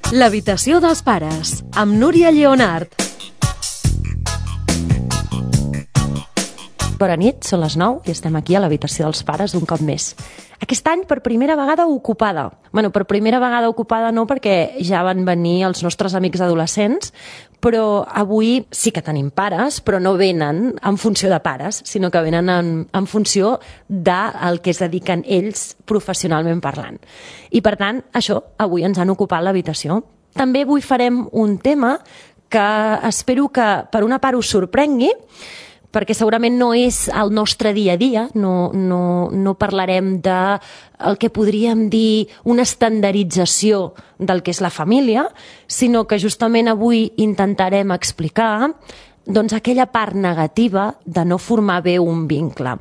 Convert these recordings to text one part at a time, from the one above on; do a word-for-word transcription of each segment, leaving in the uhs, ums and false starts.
L'habitació dels pares, amb Núria Lleonart. Bona nit, són les nou i estem aquí a l'habitació dels pares un cop més. Aquest any per primera vegada ocupada. Bueno, per primera vegada ocupada no, perquè ja van venir els nostres amics adolescents, però avui sí que tenim pares, però no venen en funció de pares, sinó que venen en, en funció del que es dediquen ells professionalment parlant. I per tant, això, avui ens han ocupat l'habitació. També avui farem un tema que espero que per una part us sorprengui, perquè segurament no és el nostre dia a dia, no, no, no parlarem de el que podríem dir una estandardització del que és la família, sinó que justament avui intentarem explicar doncs, aquella part negativa de no formar bé un vincle.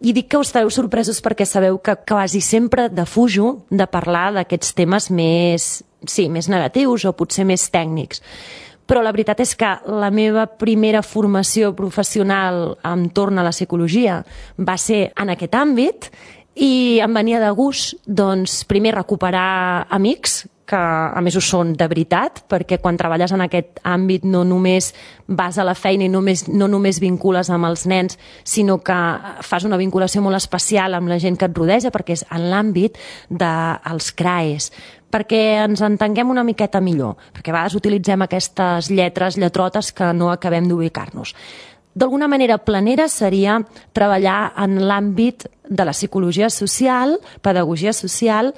I dic que us estareu sorpresos perquè sabeu que quasi sempre defujo de parlar d'aquests temes més, sí, més negatius o potser més tècnics. Però la veritat és que la meva primera formació professional entorn a la psicologia va ser en aquest àmbit i em venia de gust, doncs, primer recuperar amics, que a més ho són de veritat, perquè quan treballes en aquest àmbit no només vas a la feina i només, no només vincules amb els nens, sinó que fas una vinculació molt especial amb la gent que et rodeja, perquè és en l'àmbit dels C R A Es, perquè ens entenguem una miqueta millor, perquè a vegades utilitzem aquestes lletres, lletrotes que no acabem d'ubicar-nos. D'alguna manera planera seria treballar en l'àmbit de la psicologia social, pedagogia social,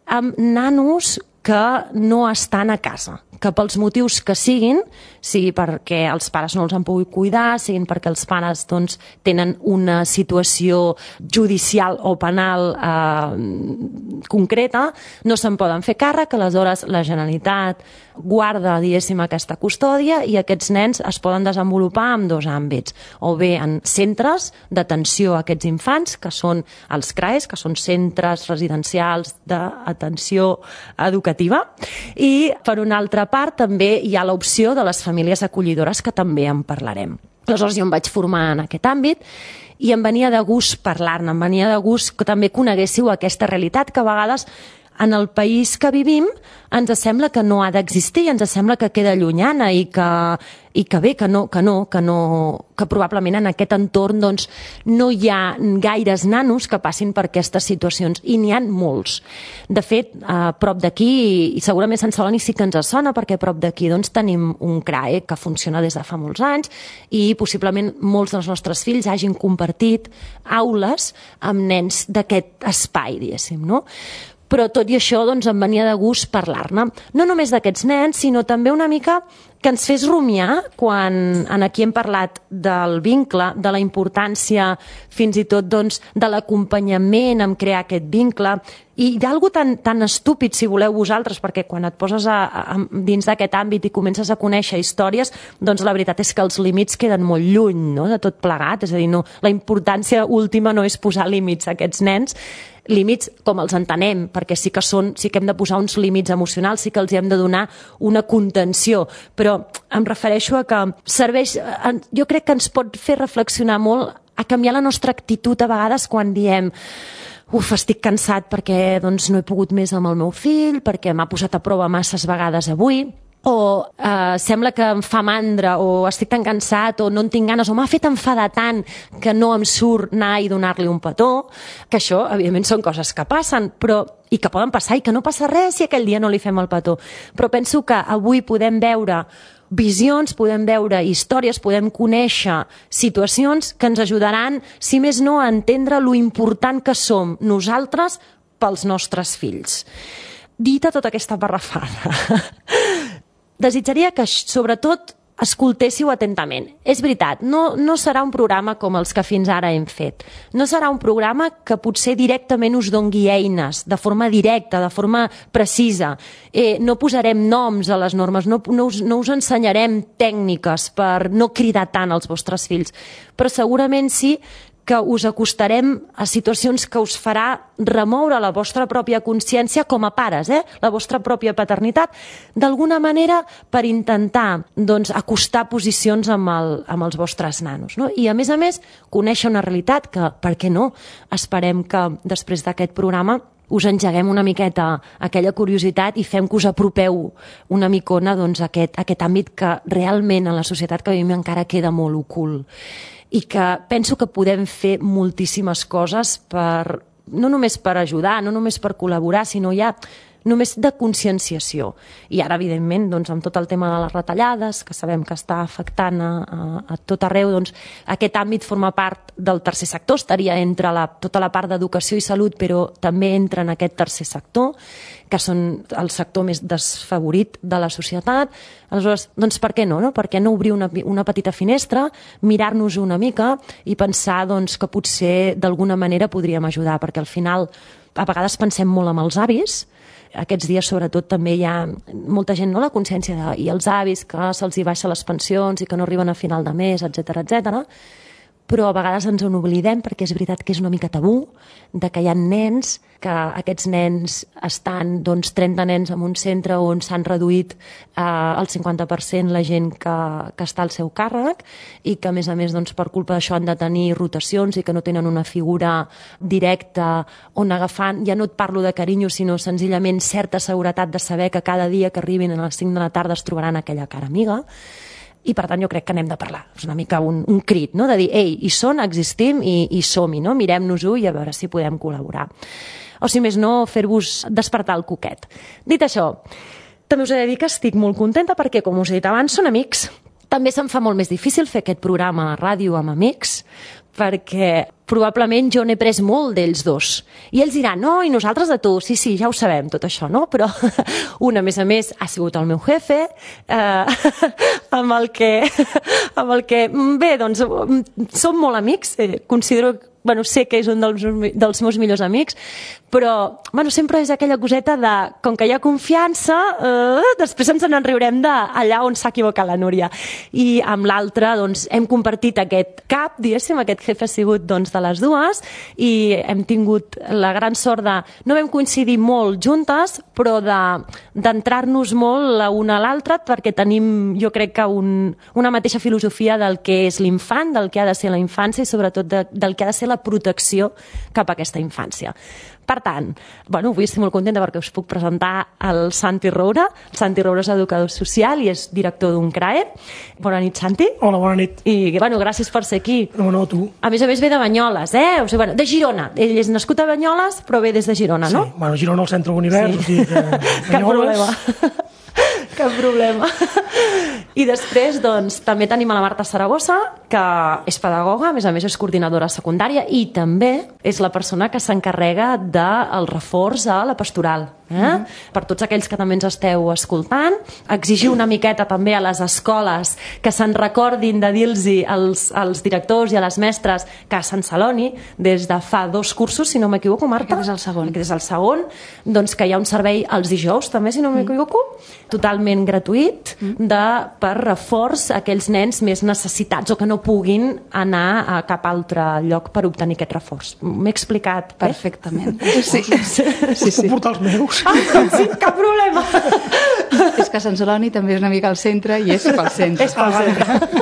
amb nanos que no estan a casa, que pels motius que siguin, sigui perquè els pares no els han pogut cuidar, siguin perquè els pares doncs, tenen una situació judicial o penal eh, concreta, no se'n poden fer càrrec, aleshores la Generalitat guarda, diguéssim, aquesta custòdia i aquests nens es poden desenvolupar en dos àmbits, o bé en centres d'atenció a aquests infants, que són els C R A Es, que són centres residencials d'atenció educativa, i per una altra part també hi ha l'opció de les famílies acollidores, que també en parlarem. Aleshores jo em vaig formar en aquest àmbit i em venia de gust parlar-ne, em venia de gust que també coneguéssiu aquesta realitat que a vegades en el país que vivim ens sembla que no ha d'existir, ens sembla que queda llunyana i que, i que bé, que no, que no, que no, que probablement en aquest entorn doncs, no hi ha gaires nanos que passin per aquestes situacions, i n'hi ha molts. De fet, a prop d'aquí, i segurament Sant Celoni sí que ens sona, perquè a prop d'aquí doncs, tenim un C R A E que funciona des de fa molts anys i possiblement molts dels nostres fills hagin compartit aules amb nens d'aquest espai, diguéssim, no? Però tot i això doncs, em venia de gust parlar-ne. No només d'aquests nens, sinó també una mica que ens fes rumiar quan aquí hem parlat del vincle, de la importància fins i tot doncs, de l'acompanyament en crear aquest vincle, i d'algú tan, tan estúpid, si voleu vosaltres, perquè quan et poses a, a, dins d'aquest àmbit i comences a conèixer històries, doncs la veritat és que els límits queden molt lluny, no?, de tot plegat. És a dir, no, la importància última no és posar límits a aquests nens, límits com els entenem, perquè sí que, són, sí que hem de posar uns límits emocionals, sí que els hem de donar una contenció, però em refereixo a que serveix, jo crec que ens pot fer reflexionar molt a canviar la nostra actitud a vegades quan diem uf, estic cansat perquè doncs, no he pogut més amb el meu fill, perquè m'ha posat a prova masses vegades avui, o eh, sembla que em fa mandra, o estic tan cansat, o no en tinc ganes, o m'ha fet enfadar tant que no em surt anar i donar-li un petó, que això, evidentment, són coses que passen, però i que poden passar, i que no passa res si aquell dia no li fem el petó. Però penso que avui podem veure visions, podem veure històries, podem conèixer situacions que ens ajudaran, si més no, a entendre lo important que som nosaltres pels nostres fills. Dita tota aquesta parrafada, desitjaria que, sobretot, escoltéssiu atentament. És veritat, no, no serà un programa com els que fins ara hem fet. No serà un programa que potser directament us dongui eines, de forma directa, de forma precisa. Eh, no posarem noms a les normes, no, no, us, no us ensenyarem tècniques per no cridar tant als vostres fills, però segurament sí que us acostarem a situacions que us farà remoure la vostra pròpia consciència com a pares, eh? La vostra pròpia paternitat, d'alguna manera per intentar doncs, acostar posicions amb, el, amb els vostres nanos. No? I a més a més, conèixer una realitat que, per què no, esperem que després d'aquest programa us engeguem una miqueta aquella curiositat i fem que us apropeu una micona doncs, a aquest, a aquest àmbit que realment en la societat que vivim encara queda molt ocult. I que penso que podem fer moltíssimes coses per, no només per ajudar, no només per col·laborar, sinó ja només de conscienciació. I ara, evidentment, doncs, amb tot el tema de les retallades, que sabem que està afectant a, a, a tot arreu, doncs, aquest àmbit forma part del tercer sector, estaria entre la, tota la part d'educació i salut, però també entra en aquest tercer sector, que són el sector més desfavorit de la societat. Aleshores, doncs per què no? no? Per què no obrir una, una petita finestra, mirar-nos una mica i pensar doncs, que potser d'alguna manera podríem ajudar, perquè al final a vegades pensem molt amb els avis. Aquests dies, sobretot, també hi ha molta gent, no?, la consciència de, i els avis que se'ls hi baixa les pensions i que no arriben a final de mes, etcètera, etcètera. Però a vegades ens en oblidem perquè és veritat que és una mica tabú, de que hi ha nens, que aquests nens estan, doncs, trenta nens en un centre on s'han reduït eh, el cinquanta per cent la gent que, que està al seu càrrec i que, a més a més, doncs, per culpa d'això han de tenir rotacions i que no tenen una figura directa on agafant, ja no et parlo de carinyo, sinó senzillament certa seguretat de saber que cada dia que arribin a les cinc de la tarda es trobaran aquella cara amiga. I, per tant, jo crec que n'hem de parlar. És una mica un, un crit, no?, de dir, ei, hi són, existim i, i som-hi, no? Mirem-nos-ho i a veure si podem col·laborar. O, si més no, fer-vos despertar el coquet. Dit això, també us he de dir que estic molt contenta perquè, com us he dit abans, són amics. També se'm fa molt més difícil fer aquest programa a ràdio amb amics, perquè probablement jo n'he pres molt d'ells dos. I ells diran, no, i nosaltres de tu, sí, sí, ja ho sabem, tot això, no? Però un, a més a més, ha sigut el meu jefe, eh, amb el que, amb el que, bé, doncs, som molt amics, eh, considero, bueno, sé que és un dels, dels meus millors amics, però, bueno, sempre és aquella coseta de, com que hi ha confiança, eh, després ens en riurem d'allà on s'ha equivocat la Núria. I amb l'altre, doncs, hem compartit aquest cap, diguéssim, aquest jefe ha sigut, doncs, de les dues, i hem tingut la gran sort de, no vam coincidir molt juntes, però d'entrar-nos molt la una a l'altra, perquè tenim, jo crec que un, una mateixa filosofia del que és l'infant, del que ha de ser la infància i sobretot de, del que ha de ser la protecció cap a aquesta infància. Per tant, bueno, avui estic molt contenta perquè us puc presentar el Santi Roura. El Santi Roura és educador social i és director d'un C R A E. Bona nit, Santi. Hola, bona nit. I, bueno, gràcies per ser aquí. No, no, tu. A més a més ve de Banyoles, eh? O sigui, bueno, de Girona. Ell és nascut a Banyoles, però ve des de Girona, no? Sí, bueno, Girona al centre de l'univers, sí. O sigui que Cap problema. Cap problema. I després, doncs, també tenim a la Marta Saragossa, que és pedagoga, a més a més és coordinadora secundària i també és la persona que s'encarrega del reforç a la pastoral. Eh? Mm-hmm. Per tots aquells que també ens esteu escoltant, exigir una miqueta també a les escoles que se'n recordin de dir-los als, als directors i a les mestres que a Sant Celoni, des de fa dos cursos, si no m'equivoco, Marta? Aquest és el segon. Aquest és el segon, doncs que hi ha un servei els dijous, també, si no m'equivoco, totalment gratuït, de, per reforç a aquells nens més necessitats o que no puguin anar a cap altre lloc per obtenir aquest reforç. M'he explicat? Perfectament. Sí, sí, sí. Puc portar els meus? Ah, sí, cap problema. És que Sant Celoni també és una mica al centre i és pel centre. És pel centre.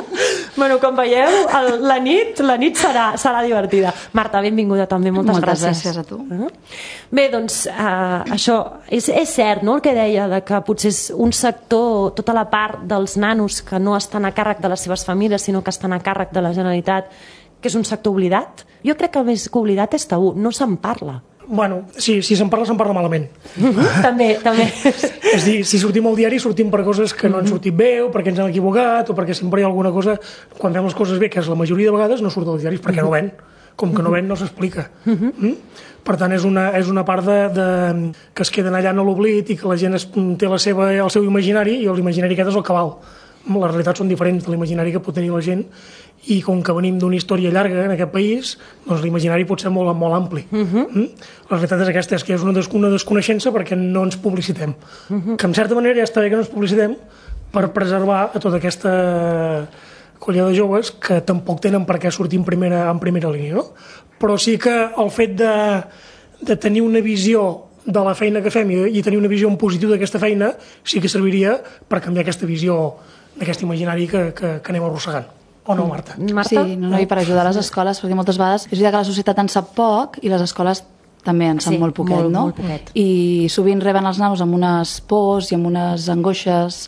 Bueno, com veieu, el, la nit, la nit serà, serà divertida. Marta, benvinguda també, moltes, moltes gràcies. gràcies a tu. Uh-huh. Bé, doncs, uh, això és, és cert, no?, el que deia, de que potser és un sector, tota la part dels nanos que no estan a càrrec de les seves famílies, sinó que estan a càrrec de la Generalitat, que és un sector oblidat. Jo crec que més que oblidat és tabú, no se'n parla. Bueno, sí, si se'n parla, se'n parla malament. Uh-huh. També, també. És dir, si sortim al diari, sortim per coses que no han sortit bé, o perquè ens han equivocat, o perquè sempre hi ha alguna cosa... Quan fem les coses bé, que és la majoria de vegades, no surt als diaris perquè no ven. Com que no ven, no s'explica. Uh-huh. Mm? Per tant, és una, és una part de, de, que es queden allà en l'oblit i que la gent es, té la seva, el seu imaginari, i l'imaginari aquest és el que val. Les realitats són diferents de l'imaginari que pot tenir la gent, i com que venim d'una història llarga en aquest país, doncs l'imaginari pot ser molt, molt ampli. Uh-huh. mm? La realitat és aquesta, és que és una, des, una desconeixença perquè no ens publicitem. Uh-huh. Que en certa manera ja està bé que no ens publicitem per preservar a tota aquesta colla de joves que tampoc tenen per què sortir en primera, en primera línia, no? Però sí que el fet de, de tenir una visió de la feina que fem i, i tenir una visió en positiu d'aquesta feina sí que serviria per canviar aquesta visió d'aquest imaginari que, que, que anem arrossegant. O no, Marta? Marta? Sí, no, no, i per ajudar les escoles, perquè moltes vegades és veritat que la societat en sap poc i les escoles també en sap Sí, molt poquet, molt, no? molt poquet. I sovint reben els nanos amb unes pors i amb unes angoixes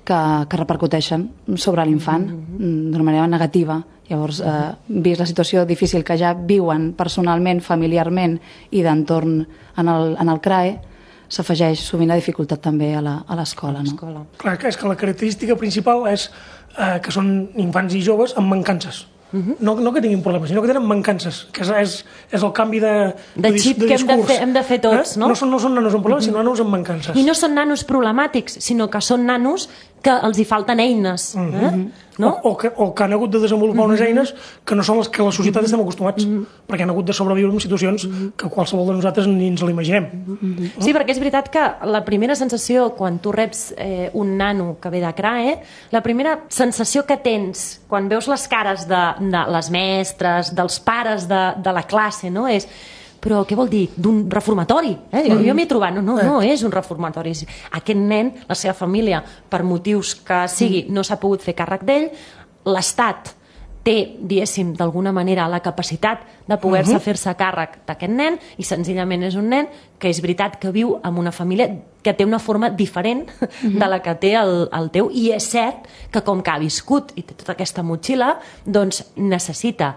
que, que repercuteixen sobre l'infant mm-hmm. d'una manera negativa. Llavors, eh, vist la situació difícil que ja viuen personalment, familiarment i d'entorn en el, en el C R A E, s'afegeix sovint la dificultat també a l'escola. No? Clar, és que la característica principal és eh, que són infants i joves amb mancances. Uh-huh. No, no que tinguin problemes, sinó que tenen mancances, que és, és, és el canvi de, de, de xip de que hem de, fer, hem de fer tots, eh? no? No són, no són nanos amb problemes, uh-huh. sinó nanos amb mancances. I no són nanos problemàtics, sinó que són nanos que els hi falten eines. Uh-huh. eh? No? O, o, que, o que han hagut de desenvolupar uh-huh. unes eines que no són les que la societat uh-huh. estem acostumats, uh-huh. perquè han hagut de sobreviure en situacions uh-huh. que qualsevol de nosaltres ni ens l'imaginem. Uh-huh. Sí, perquè és veritat que la primera sensació quan tu reps eh, un nano que ve de C R A E, la primera sensació que tens quan veus les cares de, de les mestres, dels pares de, de la classe, no? És però què vol dir? D'un reformatori? Eh? Jo, jo m'he trobat, no, no, no és un reformatori. Aquest nen, la seva família, per motius que sigui, no s'ha pogut fer càrrec d'ell, l'Estat té, diguéssim, d'alguna manera la capacitat de poder-se uh-huh. fer-se càrrec d'aquest nen i senzillament és un nen que és veritat que viu en una família que té una forma diferent uh-huh. de la que té el, el teu i és cert que com que ha viscut i té tota aquesta motxilla, doncs necessita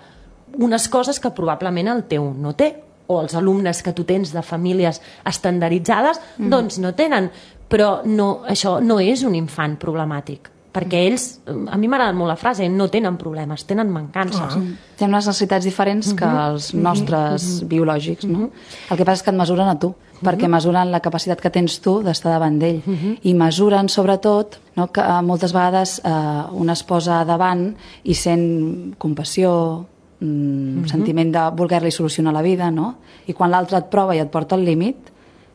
unes coses que probablement el teu no té, o els alumnes que tu tens de famílies estandarditzades, mm. doncs no tenen. Però no, això no és un infant problemàtic, perquè ells, a mi m'agrada molt la frase, no tenen problemes, tenen mancances. Ah. Tenen unes necessitats diferents que els nostres mm-hmm. biològics, no? El que passa és que et mesuren a tu, mm-hmm. perquè mesuren la capacitat que tens tu d'estar davant d'ell. Mm-hmm. I mesuren, sobretot, no, que moltes vegades eh, un es posa davant i sent compassió, Mm, mm-hmm. sentiment de voler-li solucionar la vida, no? I quan l'altre et prova i et porta al límit,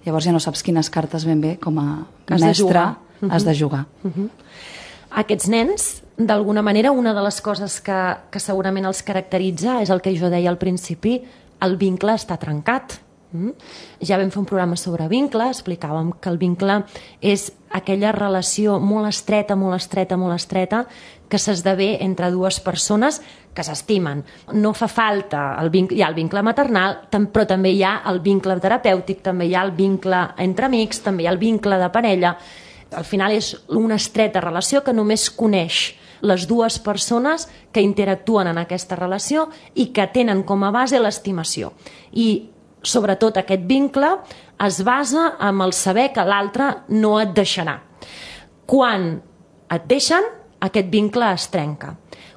llavors ja no saps quines cartes ben bé com a has mestre de has de jugar. Mm-hmm. Aquests nens, d'alguna manera, una de les coses que, que segurament els caracteritza és el que jo deia al principi, el vincle està trencat. Mm? Ja vam fer un programa sobre vincle, explicàvem que el vincle és aquella relació molt estreta, molt estreta, molt estreta, que s'esdevé entre dues persones que s'estimen. No fa falta, el vincle, hi ha el vincle maternal, però també hi ha el vincle terapèutic, també hi ha el vincle entre amics, també hi ha el vincle de parella. Al final és una estreta relació que només coneix les dues persones que interactuen en aquesta relació i que tenen com a base l'estimació. I sobretot aquest vincle es basa en el saber que l'altre no et deixarà. Quan et deixen, aquest vincle es trenca.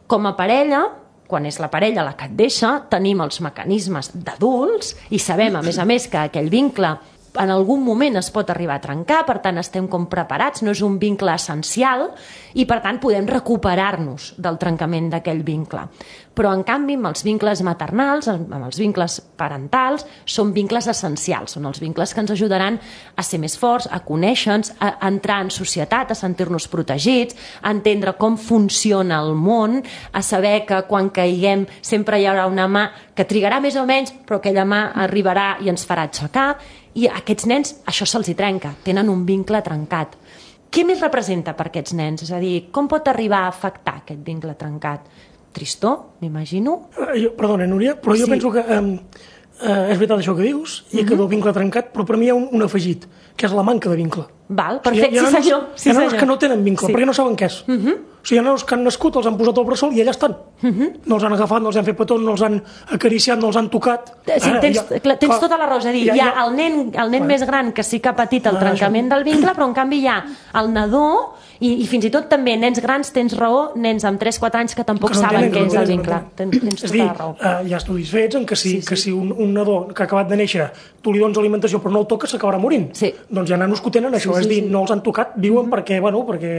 Com a parella, quan és la parella la que et deixa, tenim els mecanismes d'adults i sabem, a més a més, que aquell vincle en algun moment es pot arribar a trencar, per tant estem com preparats, no és un vincle essencial i per tant podem recuperar-nos del trencament d'aquell vincle. Però en canvi amb els vincles maternals, amb els vincles parentals, són vincles essencials, són els vincles que ens ajudaran a ser més forts, a conèixer-nos, a entrar en societat, a sentir-nos protegits, a entendre com funciona el món, a saber que quan caiguem sempre hi haurà una mà que trigarà més o menys, però aquella mà arribarà i ens farà aixecar. I a aquests nens això se'ls hi trenca, tenen un vincle trencat. Què més representa per aquests nens? És a dir, com pot arribar a afectar aquest vincle trencat? Tristor, m'imagino? Uh, jo, perdona, Núria, però jo sí. penso que um, uh, és veritat això que dius, i uh-huh. que del vincle trencat, però per mi hi ha un, un afegit, que és la manca de vincle. Val, perfecte, o sigui, sí senyor. Sí, hi ha nanos que no tenen vincle, sí. perquè no saben què és. Uh-huh. O sigui, hi ha nanos que han nascut, els han posat al bressol i allà estan. Uh-huh. No els han agafat, no els han fet petó, no els han acariciat, no els han tocat. Sí, Ara, tens, ja, clar, tens clar, tota la raó, és a dir, ja, hi ha ja, el nen, el nen més gran que sí que ha patit el ah, trencament això. del vincle, però en canvi hi ha el nadó i, i fins i tot també nens grans, tens raó, nens amb tres quatre anys que tampoc que no saben què és el vincle. Tens, tens tota dir, la raó. Uh, hi ha estudis fets en què si, sí, sí. que si un, un nadó que ha acabat de néixer tu li dones alimentació però no el toques s'acabarà morint. Sí. Doncs hi ha nanos que ho tenen això, sí, sí, és dir, sí. no els han tocat, viuen mm-hmm. perquè, bueno, perquè,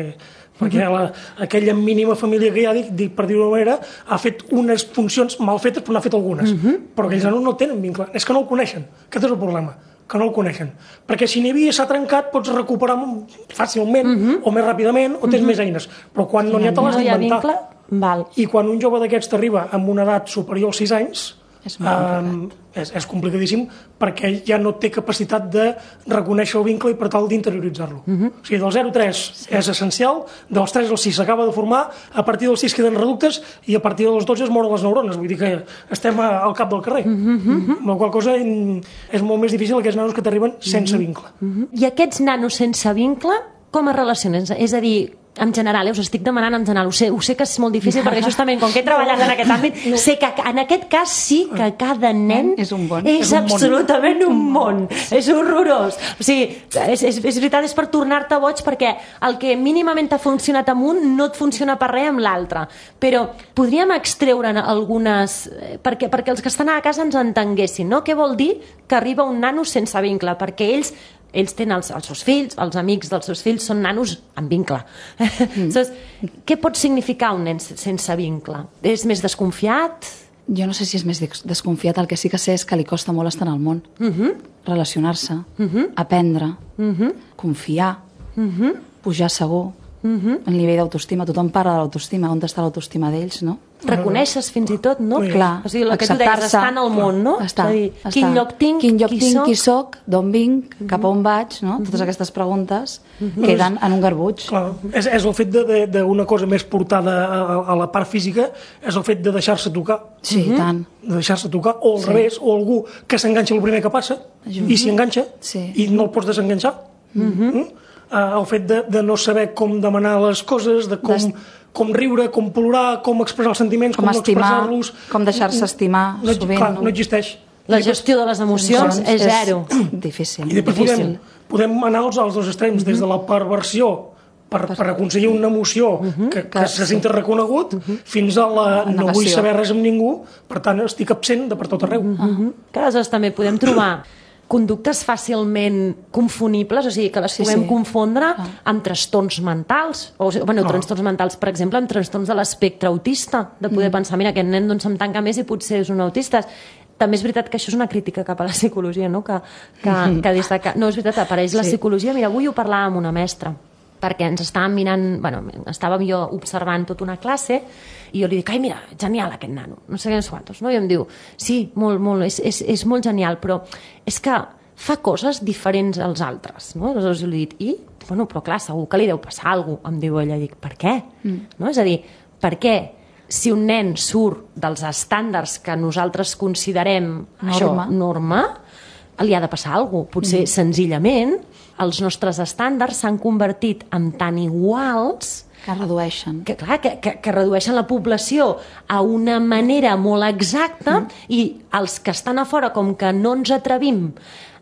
perquè la, aquella mínima família que hi ha, dic, dic, per dir-ho d'una manera, ha fet unes funcions mal fetes però n'ha fet algunes. Mm-hmm. Però aquells nanos no tenen vincle, és que no el coneixen. Aquest és el problema, que no el coneixen. Perquè si n'hi havia s'ha trencat pots recuperar fàcilment mm-hmm. o més ràpidament o tens mm-hmm. més eines. Però quan no n'hi ha te l'has d'inventar. Val. I quan un jove d'aquests t'arriba amb una edat superior als sis anys, És molt um, és, és complicadíssim perquè ell ja no té capacitat de reconèixer el vincle i per tal d'interioritzar-lo. Uh -huh. O sigui, del zero a tres sí. és essencial, dels tres al sis s'acaba de formar, a partir del sis queden reductes i a partir dels dotze es moren les neurones, vull dir que estem a, al cap del carrer. Uh -huh. Amb la qual cosa és molt més difícil aquests nanos que t'arriben sense uh -huh. vincle. Uh -huh. I aquests nanos sense vincle com es relacionen? És a dir, en general, eh, us estic demanant en general, ho sé, ho sé que és molt difícil perquè justament com que he treballat en aquest àmbit, no. sé que en aquest cas sí que cada nen és, un bon. és, és un absolutament món. un món, és horrorós. O sigui, és, és, és veritat, és per tornar-te boig perquè el que mínimament t'ha funcionat amb un no et funciona per res amb l'altre. Però podríem extreure'n algunes, perquè, perquè els que estan a casa ens entenguessin, no? Què vol dir que arriba un nano sense vincle? Perquè ells ells tenen els, els seus fills, els amics dels seus fills són nanos amb vincle. Mm. Saps? Què pot significar un nen sense vincle? És més desconfiat? Jo no sé si és més desconfiat, el que sí que sé és que li costa molt estar en el món. Uh -huh. Relacionar-se, uh -huh. aprendre, uh -huh. confiar, uh -huh. pujar segur, uh -huh. el nivell d'autoestima. Tothom parla de l'autoestima, on està l'autoestima d'ells, no? Reconeixes fins i tot, no? Clar, o sigui, el que tu deies, estar en el món, no? Està, dir, està. Quin lloc tinc, quin lloc qui tinc, soc? qui soc, d'on vinc, cap a on vaig, no? Totes aquestes preguntes queden en un garbuig. Clar, és, és el fet d'una cosa més portada a, a la part física, és el fet de deixar-se tocar. Sí, i tant. De deixar-se tocar, o al sí. revés, o algú que s'enganxa el primer que passa, Ajum. i s'hi enganxa, sí. i no el pots desenganxar. Mm-hmm. Mm? Uh, el fet de, de no saber com demanar les coses, de com... Des... com riure, com plorar, com expressar els sentiments, com, com expressar-los... Com deixar-se estimar, no, sovint. Clar, no existeix. La gestió de les emocions és zero. És difícil. I després podem, podem anar als, als dos extrems, uh-huh. des de la perversió, per, per aconseguir una emoció uh-huh. que, que se senti reconegut, uh-huh. fins a la no vull saber res amb ningú, per tant estic absent de per tot arreu. Uh-huh. Que aleshores també podem trobar conductes fàcilment confonibles, o sigui, que les sí, puguem sí. confondre ah. amb trastorns mentals, o bueno, no. trastorns mentals, per exemple, amb trastorns de l'espectre autista, de poder mm. pensar, mira, aquest nen doncs se'm tanca més i potser és un autista. També és veritat que això és una crítica cap a la psicologia, no? Que, que, mm. que des de que... No, és veritat, apareix sí. la psicologia. Mira, avui ho parlàvem amb una mestra, perquè ens estàvem mirant, bueno, estàvem jo observant tota una classe i jo li dic, ai, mira, genial aquest nano, no sé què ens quantos, no? I em diu, sí, molt, molt, és, és, és molt genial, però és que fa coses diferents als altres, no? Aleshores jo li dic, i? Bueno, però clar, segur que li deu passar alguna cosa, em diu ella, dic, per què? Mm. No? És a dir, per què si un nen surt dels estàndards que nosaltres considerem norma, això, norma, li ha de passar alguna cosa? Potser mm. senzillament els nostres estàndards s'han convertit en tan iguals que redueixen. Que, clar, que, que, que redueixen la població a una manera molt exacta mm. i els que estan a fora, com que no ens atrevim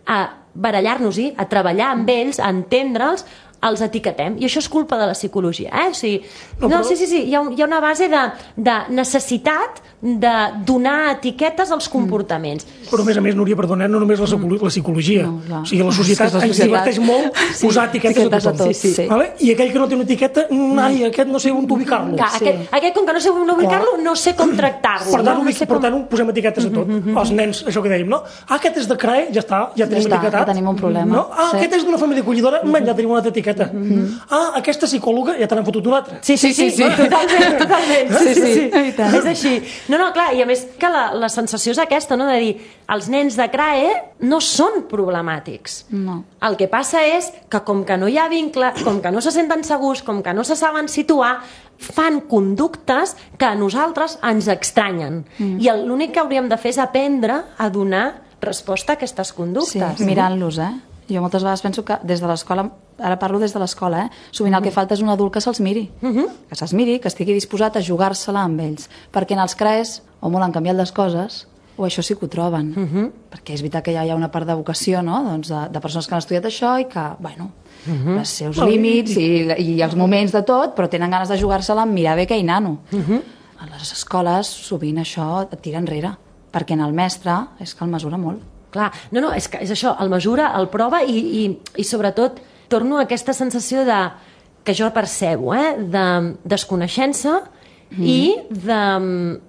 a barallar-nos-hi, a treballar amb ells, a entendre'ls, els etiquetem. I això és culpa de la psicologia. Eh? O sigui, no, no, sí, sí, sí, hi ha, hi ha una base de, de necessitat de donar etiquetes als comportaments. Però a més a més, Núria, perdona, no només la, la psicologia. No, no. O sigui, la societat ens diverteix molt sí, posar etiquetes a tothom. Sí, sí. Vale? I aquell que no té una etiqueta, ai, aquest no sé on ubicar-lo. Sí. Aquest, aquest, com que no sé on ubicar-lo, no sé com tractar-lo. Per tant, no? no sé per com... tant posem etiquetes a tot. Mm-hmm. Els nens, això que dèiem, no? Ah, aquest és de C R A E, ja està, ja tenim ja etiquetat. Ja tenim un problema. No? Ah, sí. Aquest és d'una família acollidora, mm-hmm. ja tenim una altra etiqueta. Mm-hmm. Ah, aquesta psicòloga, ja te n'han fotut una altra. Sí, sí, sí, sí, totalment, totalment. Sí, sí, sí. És així. No, no, clar, i a més que la, la sensació és aquesta, no?, de dir, els nens de C R A E no són problemàtics. No. El que passa és que com que no hi ha vincle, com que no se senten segurs, com que no se saben situar, fan conductes que a nosaltres ens extranyen. Mm. I l'únic que hauríem de fer és aprendre a donar resposta a aquestes conductes. Sí, mirant-los, eh? Jo moltes vegades penso que des de l'escola, ara parlo des de l'escola, eh? sovint el que falta és un adult que se'ls miri, uh-huh. que se'ls miri, que estigui disposat a jugar-se-la amb ells, perquè en els C R A Es o molt han canviat les coses o això sí que ho troben, uh-huh. perquè és veritat que ja hi ha una part de vocació, no? doncs de, de persones que han estudiat això i que, bueno, uh-huh. els seus límits i, i els moments de tot, però tenen ganes de jugar-se-la amb mirar bé aquell nano. Uh-huh. A les escoles sovint això et tira enrere, perquè en el mestre és que el mesura molt. Clar, no, no, és que és això, el mesura, el prova i, i, i sobretot torno a aquesta sensació de, que jo percebo, eh, de desconeixença mm. i de...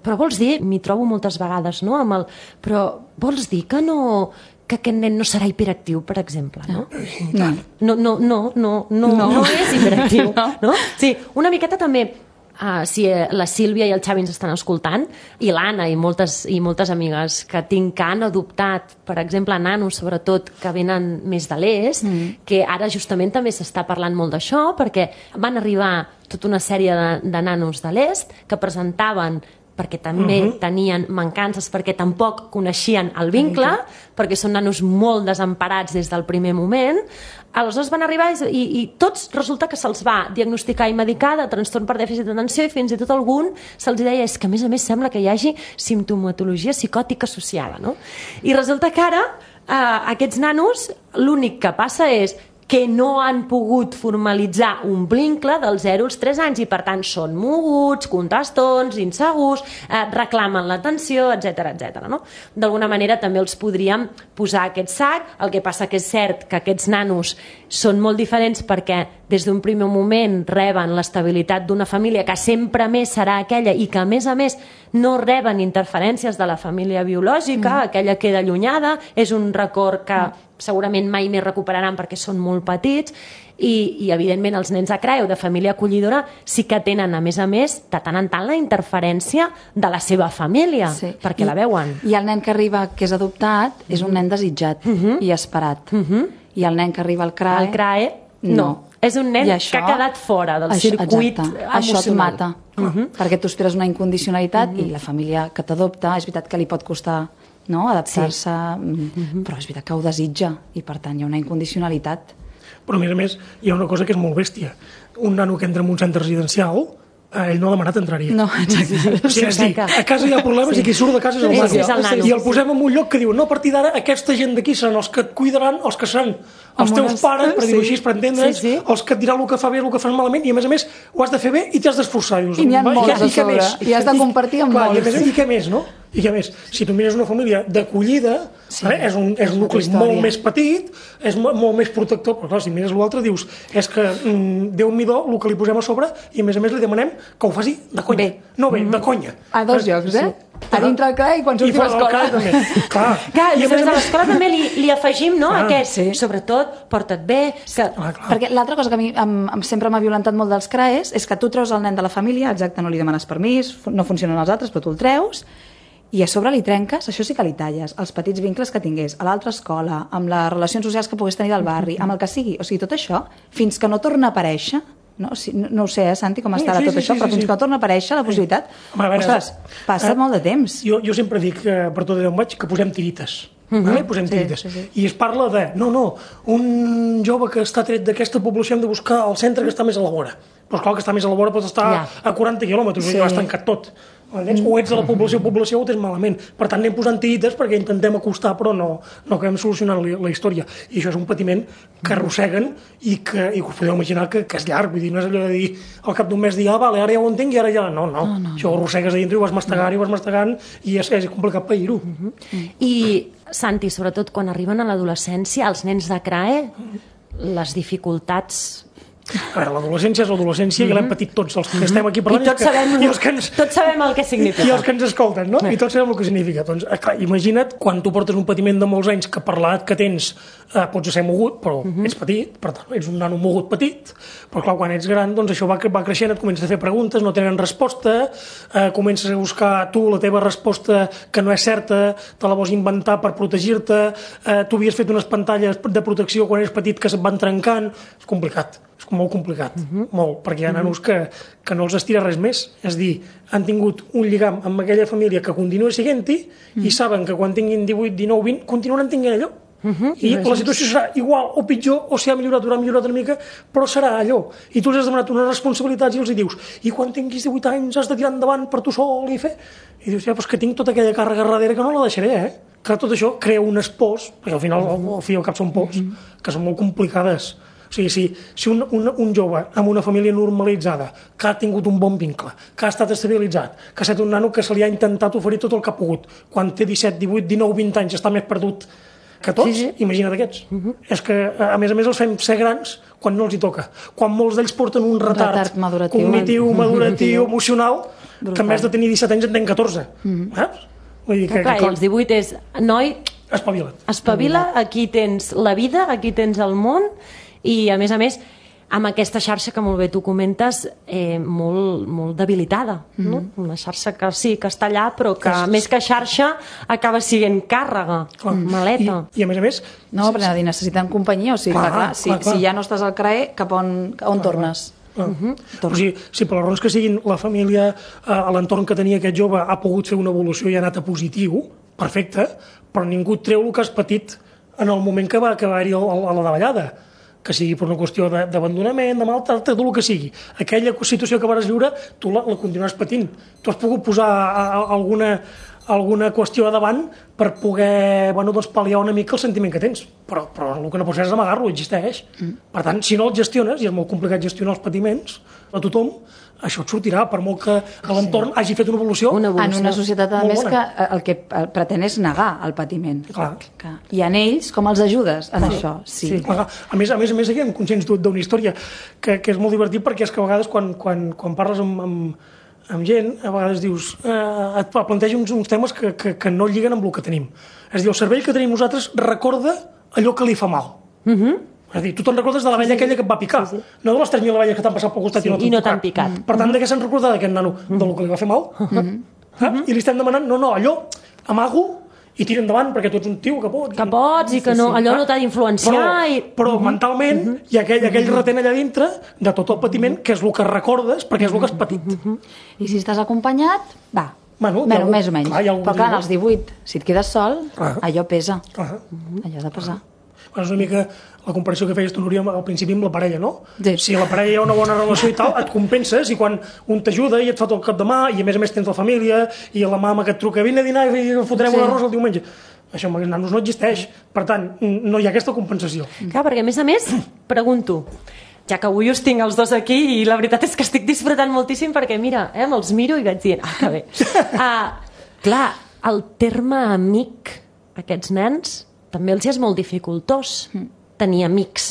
Però vols dir, m'hi trobo moltes vegades, no? Amb el, però vols dir que no... que aquest nen no serà hiperactiu, per exemple, no? No, no, no, no, no, no, no. no és hiperactiu, no? Sí, una miqueta també Uh, si la Sílvia i el Xavi ens estan escoltant, i l'Anna i moltes, i moltes amigues que tinc que han adoptat, per exemple, nanos, sobretot, que venen més de l'est, mm. que ara justament també s'està parlant molt d'això, perquè van arribar tota una sèrie de, de nanos de l'est que presentaven perquè també uh-huh. tenien mancances, perquè tampoc coneixien el vincle, uh-huh. perquè són nanos molt desemparats des del primer moment. Aleshores van arribar i, i tots resulta que se'ls va diagnosticar i medicar de trastorn per dèficit d'atenció, i fins i tot algun se'ls deia és que a més a més sembla que hi hagi simptomatologia psicòtica associada, no? I resulta que ara eh, aquests nanos l'únic que passa és que no han pogut formalitzar un vincle dels zero als tres anys i per tant són moguts, contestons, insegurs, eh, reclamen l'atenció, etcètera, etcètera, no? D'alguna manera també els podríem posar aquest sac. El que passa que és cert que aquests nanos són molt diferents perquè des d'un primer moment reben l'estabilitat d'una família que sempre més serà aquella i que a més a més no reben interferències de la família biològica, mm. aquella queda allunyada, és un record que mm. segurament mai més recuperaran perquè són molt petits, i, i evidentment els nens de C R A E o de família acollidora sí que tenen a més a més de tant en tant la interferència de la seva família, sí. perquè I, la veuen. I el nen que arriba que és adoptat és un nen desitjat uh-huh. i esperat, uh-huh. i el nen que arriba al C R A E, el C R A E no, no. és un nen això, que ha quedat fora del això, circuit exacte. emocional. Això et mata, uh-huh. perquè tu esperes una incondicionalitat uh-huh. i la família que t'adopta, és veritat que li pot costar, no, adaptar-se, sí. mm-hmm. però és veritat que ho desitja i per tant hi ha una incondicionalitat. Però a més a més hi ha una cosa que és molt bèstia. Un nano que entra en un centre residencial, eh, ell no ha demanat entrar-hi. No, exacte. O sigui, és dir, a casa hi ha problemes sí. i qui surt de casa és el nano. Sí, és el nano. I el posem en un lloc que diu, no, a partir d'ara aquesta gent d'aquí seran els que et cuidaran, els que seran els teus unes... pares, per dir-ho sí. així, per entendre's, sí, sí. els que et diran el que fa bé, el que fan malament, i a més a més ho has de fer bé i t'has d'esforçar. I n'hi ha molts a sobre, i has de compartir amb clar, molts. I, més, I què més, no? I què més? Si tu mires una família d'acollida, sí, eh, és un, és un nucli molt més petit, és molt, molt més protector, però clar, si mires l'altre dius, és que mm, Déu-m'hi-do el que li posem a sobre i a més a més li demanem que ho faci de conya. Bé. No bé, mm-hmm. de conya. A dos llocs, eh? Sí. A dintre el C R A E i quan surti a l'escola. També. Clar. Clar, i, I a, més a més a l'escola també li, li afegim, no, ah, aquest, sí. sobretot, porta't bé. Que... Ah, perquè l'altra cosa que a mi em, em, sempre m'ha violentat molt dels C R A Es és que tu treus el nen de la família, exacte, no li demanes permís, no funcionen els altres, però tu el treus, i a sobre li trenques, això sí que li talles, els petits vincles que tingués a l'altra escola, amb les relacions socials que pogués tenir del barri, amb el que sigui. O sigui, tot això, fins que no torna a aparèixer, no, si, no, no ho sé, eh, Santi, com estarà sí, sí, tot sí, això, sí, però sí, fins sí. que no torna a aparèixer la possibilitat, sí. Home, veure, ostres, passa eh, molt de temps. Jo, jo sempre dic, eh, per tot d'on vaig, que posem tirites. Uh-huh. Vale? Posem sí, tirites. Sí, sí. I es parla de, no, no, un jove que està tret d'aquesta població hem de buscar el centre que està més a la vora. Però clar, que està més a la vora pot estar ja. a quaranta quilòmetres, sí. i has tancat tot. O ets a la població, població o tens malament. Per tant, anem posant tirites perquè intentem acostar, però no, no acabem solucionant la, la història. I això és un patiment que arrosseguen i que, i us podeu imaginar que, que és llarg. Vull dir, no és allò de dir al cap d'un mes dir, ah, vale, ara ja ho entenc i ara ja... No, no, no, no. Això ho arrossegues a dintre i ho vas mastegant i ho vas mastegant i és, és complicat pair-ho. Uh-huh. I, Santi, sobretot quan arriben a l'adolescència, els nens de C R A E, les dificultats... A veure, l'adolescència és l'adolescència mm-hmm. i l'hem patit tots els que mm-hmm. estem aquí parlant. I tots, que, sabem, i els que ens, tots sabem el que significa. I els que ens escolten, no? I tots sabem el que significa. Doncs, clar, imagina't quan tu portes un patiment de molts anys que per l'edat que tens eh, pots ser mogut, però mm-hmm. ets petit, per tant, ets un nano mogut petit, però clar, quan ets gran, doncs això va, va creixent, et comences a fer preguntes, no tenen resposta, eh, comences a buscar tu la teva resposta que no és certa, te la vols inventar per protegir-te, eh, tu havies fet unes pantalles de protecció quan eres petit que se't van trencant, és complicat. És molt complicat, uh-huh. molt, perquè hi ha nanos que, que no els estira res més. És dir, han tingut un lligam amb aquella família que continua siguent-hi uh-huh. i saben que quan tinguin divuit, dinou, vint, continuaran tinguent allò. Uh-huh. I la situació serà igual o pitjor, o si ha millorat, haurà millorat una mica, però serà allò. I tu els has demanat unes responsabilitats i els hi dius, i quan tinguis divuit anys has de tirar endavant per tu sol i fer... I dius, ja, però és que tinc tota aquella càrrega darrere que no la deixaré, eh? Que tot això crea unes pors, perquè al final al, al fi al cap són pors, uh-huh. que són molt complicades. O sigui, si, si un, un, un jove amb una família normalitzada, que ha tingut un bon vincle, que ha estat estabilitzat, que ha estat un nano que se li ha intentat oferir tot el que ha pogut, quan té disset, divuit, dinou, vint anys està més perdut que tots, sí, sí. imagina't aquests. Uh-huh. És que, a més a més, els fem ser grans quan no els hi toca. Quan molts d'ells porten un retard, retard maduratiu, cognitiu, maduratiu, emocional, brutal. Que en vez de tenir disset anys en tenen catorze. Uh-huh. Saps? Vull dir que, clar, que, els divuit és, noi, espavila. Espavila, aquí tens la vida, aquí tens el món, i a més a més amb aquesta xarxa que molt bé tu comentes, eh, molt, molt debilitada, no? Mm-hmm. Una xarxa que sí, que està allà, però que és... més que xarxa acaba sent càrrega, clar, maleta. I, I a més a més... No, perquè necessiten companyia, o sigui, clar, clar, si, clar, clar. si ja no estàs al C R A E, cap on, on clar, tornes? Clar. Uh-huh. O sigui, si per les raons que siguin la família, eh, a l'entorn que tenia aquest jove ha pogut fer una evolució i ha anat a positiu, perfecte, però ningú treu el que has patit en el moment que va, que va haver-hi a la davallada, que sigui per una qüestió d'abandonament, de maltractament, tot el que sigui. Aquella situació que vas viure, tu la, la continues patint. Tu has pogut posar a, a, alguna, alguna qüestió a davant per poder, bueno, doncs, pal·liar una mica el sentiment que tens. Però, però el que no pots fer és amagar-lo, existeix. Mm. Per tant, si no el gestiones, i és molt complicat gestionar els patiments a tothom, això et sortirà, per molt que a l'entorn sí. hagi fet una evolució. Una evolució. En una societat, a més, que el que pretén és negar el patiment. Clar. Que, I en ells, com els ajudes en Clar. això? Sí. Sí. A més, a més, a més, aquí hem conscients d'una història que, que és molt divertit, perquè és que a vegades quan, quan, quan parles amb, amb, amb gent, a vegades dius, eh, et planteja uns, uns temes que, que, que no lliguen amb el que tenim. És a dir, el cervell que tenim nosaltres recorda allò que li fa mal. Mhm. Mm És a dir, tu te'n recordes de l'abella sí, sí. aquella que et va picar, sí, sí. no de les tres mil abelles que t'han passat pel costat sí, i no t'han picat. picat. Per tant, de què se'n recorda d'aquest nano? Mm-hmm. Del que li va fer mal? Mm-hmm. Eh? I li estem demanant, no, no, allò, amago i tira endavant, perquè tu ets un tio que pots. Que pots i que no, allò no t'ha d'influenciar. Però, i... però mm-hmm. mentalment mm-hmm. hi ha aquell, aquell retent allà dintre de tot el patiment, que és el que recordes, perquè és el que has patit. Mm-hmm. I si estàs acompanyat, va, bueno, bueno, més o menys. Clar, però clar, als divuit, si et quedes sol, ah. allò pesa. Ah. Allò ha de pesar. Ah. És una mica la comparació que feies tu, Núria, al principi amb la parella, no? Sí. Si la parella hi ha una bona relació i tal, et compenses, i quan un t'ajuda i et fa tot el cap de mà, i a més a més tens la família, i la mama que et truca, vine a dinar i fotrem sí. un arròs el diumenge. Això amb els nanos no existeix. Per tant, no hi ha aquesta compensació. Clar, perquè a més a més, pregunto, ja que avui us tinc els dos aquí, i la veritat és que estic disfrutant moltíssim, perquè mira, eh, me'ls miro i vaig dient, ah, que bé. Uh, clar, el terme amic, aquests nens, també els és molt dificultós mm. tenir amics.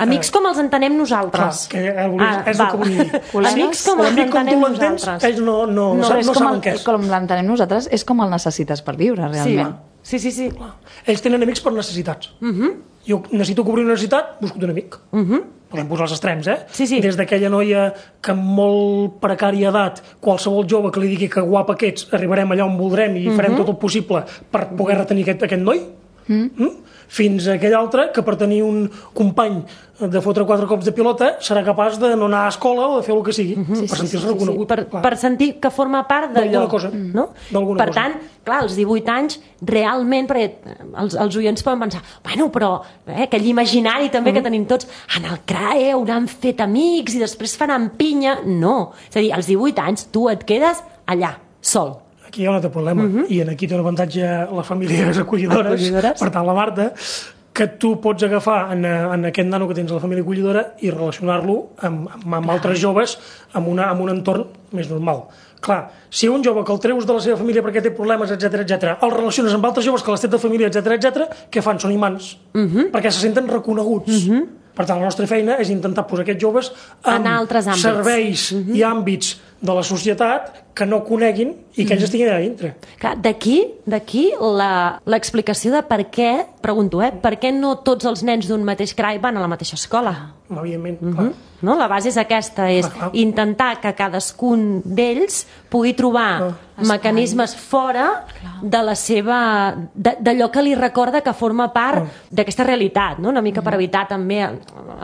Amics com els entenem nosaltres. Clar, que ah, és el que vull dir. Amics com els entenem nosaltres. Ells no, no, no, no, no saben què és. Com l'entenem nosaltres és com el necessites per viure, realment. Sí, sí, sí. sí. Ells tenen amics per necessitats. Uh -huh. Jo necessito cobrir una necessitat, busco un amic. Uh -huh. Podem posar els extrems, eh? Sí, sí. Des d'aquella noia que amb molt precària edat, qualsevol jove que li digui que guapa que ets, arribarem allà on voldrem i uh -huh. farem tot el possible per poder retenir aquest, aquest noi, Mm. Mm? fins a aquell altre que per tenir un company de fotre quatre cops de pilota serà capaç de no anar a escola o de fer el que sigui, mm-hmm. sí, per sentir-se sí, sí, reconegut. Sí, sí. Per, per sentir que forma part d'allò. Cosa. No? Per cosa. tant, clar, als divuit anys, realment, perquè els, els oients poden pensar, bueno, però eh, aquell imaginari també mm-hmm. que tenim tots, en el C R A E hauran fet amics i després faran pinya. No, és a dir, als divuit anys tu et quedes allà, sol. Aquí hi ha un altre problema, uh-huh. i en aquí té un avantatge les famílies acollidores, acollidores, per tant la Marta, que tu pots agafar en, en aquest nano que tens a la família acollidora i relacionar-lo amb, amb, amb altres joves amb, una, amb un entorn més normal. Clar, si un jove que el treus de la seva família perquè té problemes, etcètera, etcètera, el relaciones amb altres joves que les té de família, etcètera, etcètera, què fan? Són imants, uh-huh. perquè se senten reconeguts. Uh-huh. Per tant, la nostra feina és intentar posar aquests joves en, en serveis uh-huh. i àmbits de la societat que no coneguin i que ells estiguin allà dintre. D'aquí d'aquí l'explicació de per què, pregunto, eh, per què no tots els nens d'un mateix C R A E van a la mateixa escola? Evidentment, uh-huh. clar. No? La base és aquesta, és clar, clar. intentar que cadascun d'ells pugui trobar oh. mecanismes fora clar. de la seva... d'allò que li recorda que forma part oh. d'aquesta realitat, no? Una mica uh-huh. per evitar també,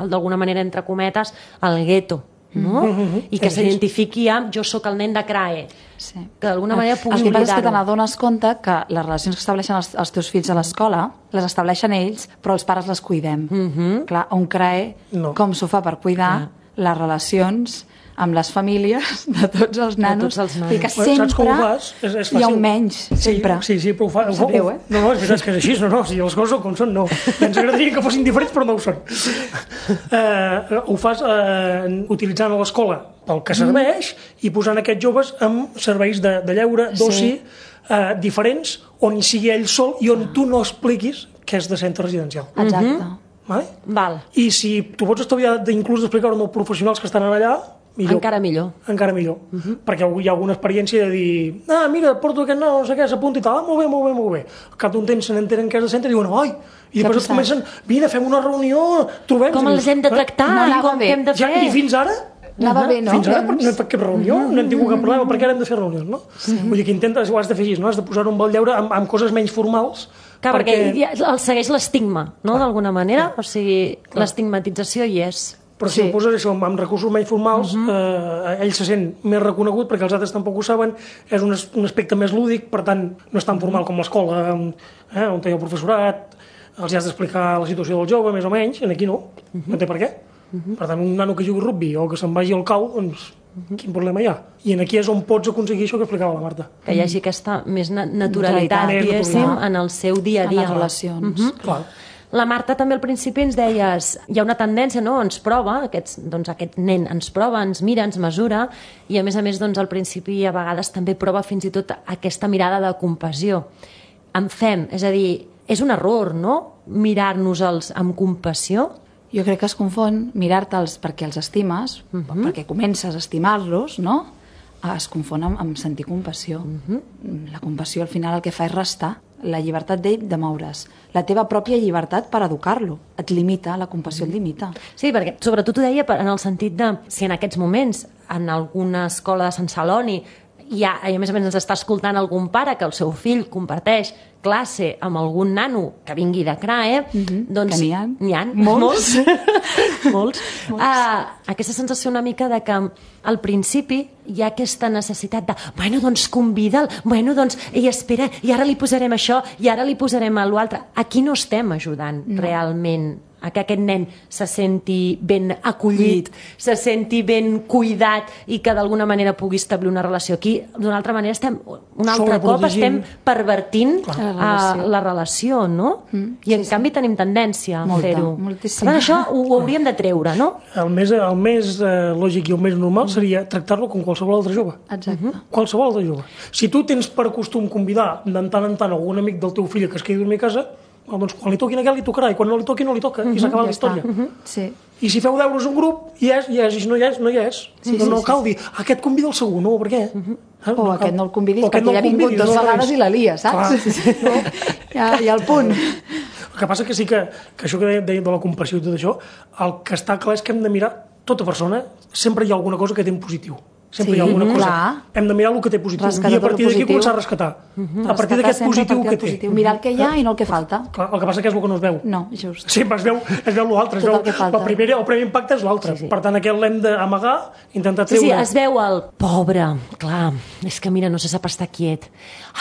d'alguna manera, entre cometes, el gueto. No? Mm-hmm. I que s'identifiqui amb jo sóc el nen de C R A E, sí. que d'alguna manera pugui oblidar-ho. El que passa és que te n'adones compte que les relacions que estableixen els, els teus fills a l'escola les estableixen ells, però els pares les cuidem. Mm-hmm. Clar, un C R A E no. com s'ho fa per cuidar ah. les relacions amb les famílies de tots els nanos, tots els nanos. I que sempre saps com ho fas? És, és hi ha un menys, sempre. Sí, sí, però ho fa... Ho, greu, eh? No, no, és veritat que és així, no, no, si les coses com són, no. Ens agradaria que fossin diferents, però no ho són. Uh, ho fas uh, utilitzant a l'escola pel que serveix mm. i posant aquests joves amb serveis de, de lleure, d'oci, sí. uh, diferents, on hi sigui ell sol i on tu no expliquis que és de centre residencial. Exacte. Mm-hmm. Vale? Val. I si tu pots estalviar d'inclús d'explicar-ho amb els professionals que estan allà, millor. Encara millor. Encara millor. Uh -huh. Perquè hi ha alguna experiència de dir ah, mira, porto aquest no, no sé què, s'apunta i tal, ah, molt bé, molt bé, molt bé. Al cap d'un temps se n'entenen que és de centre i diuen, ai, i després comencen, vine, fem una reunió, trobem... Com els hem de tractar, eh? no, com què hem de fer. Ja, I fins ara... Anava bé, no? Fins ara no hem fet cap reunió, uh -huh. no hem tingut cap problema, perquè ara hem de fer reunions, no? Sí. Vull dir que intentes, ho has de fer així, no? Has de posar un vol lleure amb, amb coses menys formals. Clar, perquè, perquè el segueix l'estigma, no?, d'alguna manera, o sigui, l'estigmatització hi és. Però si sí. ho poses això, amb recursos menys formals, uh -huh. eh, ell se sent més reconegut perquè els altres tampoc ho saben, és un, un aspecte més lúdic, per tant, no és tan formal com l'escola, eh, on hi ha el professorat, els has d'explicar la situació del jove, més o menys, en aquí no, uh -huh. no té per què. Uh -huh. Per tant, un nano que jugui rugby o que se'n vagi al cau, doncs, uh -huh. quin problema hi ha? I en aquí és on pots aconseguir això que explicava la Marta. Que hi hagi aquesta més naturalitat, diguéssim, en el seu dia a dia. En les relacions. Uh -huh. Clar. La Marta també al principi ens deies, hi ha una tendència, no?, ens prova, aquests, doncs aquest nen ens prova, ens mira, ens mesura, i a més a més, doncs al principi a vegades també prova fins i tot aquesta mirada de compassió. En fem, és a dir, és un error, no?, mirar-nos-els amb compassió. Jo crec que es confon mirar-te'ls perquè els estimes, uh -huh. perquè comences a estimar-los, no?, es confon amb, amb sentir compassió. Uh -huh. La compassió al final el que fa és restar la llibertat d'ell de moure's. La teva pròpia llibertat per educar-lo. Et limita, la compassió et limita. Sí, perquè sobretot ho deia en el sentit de si en aquests moments en alguna escola de Sant Celoni hi ha, i a més a més ens està escoltant algun pare que el seu fill comparteix classe amb algun nano que vingui de C R A E, uh -huh. doncs... Que n'hi ha. N'hi ha. Molts. Molts. Molts. Uh, aquesta sensació una mica de que al principi hi ha aquesta necessitat de, bueno, doncs convida'l, bueno, doncs, i espera, i ara li posarem això, i ara li posarem a l'altre. Aquí no estem ajudant no. realment a que aquest nen se senti ben acollit, se senti ben cuidat i que d'alguna manera pugui establir una relació. Aquí, d'una altra manera, estem, un altre cop estem pervertint la relació, uh, la relació no? Mm, I en sí, canvi sí. tenim tendència a fer-ho. Per tant, això ho, ho hauríem de treure, no? El més, el més eh, lògic i el més normal seria tractar-lo com qualsevol altre jove. Exacte. Uh -huh. Qualsevol altre jove. Si tu tens per costum convidar de tant en tant algun amic del teu fill que es quedi a dormir a casa, doncs quan li toquin a aquell li tocarà, i quan no li toqui no li toca, uh -huh, i s'acaba ja la història. Uh -huh. Sí. I si feu deures un grup, hi és, hi és, i si no hi és, no hi és. Sí, no, sí, no sí, cal sí. dir, aquest convida el segon, no, per què? Uh -huh. Ah, o no, aquest no el convidis perquè no ja ha vingut dues no vegades i la lia, saps? Sí, sí. No? Ja, ja el punt. El que passa que sí que, que això que deia de la compassió i tot això, el que està clar és que hem de mirar tota persona, sempre hi ha alguna cosa que té en positiu. Sempre sí, hi ha alguna cosa. Clar. Hem de mirar el que té positiu. Rescatar i a partir d'aquí començar a rescatar. Uh -huh. A partir d'aquest positiu que té. Positiu. Mirar el que hi ha i no el que falta. Clar, el que passa que és el que no es veu. No, just. Sí, es veu, es veu l'altre. Es veu, el, primer, el primer impacte és l'altre. Sí, sí. Per tant, aquest l'hem d'amagar, intentar treure... Sí, sí, es veu el pobre, clar, és que mira, no se sap estar quiet.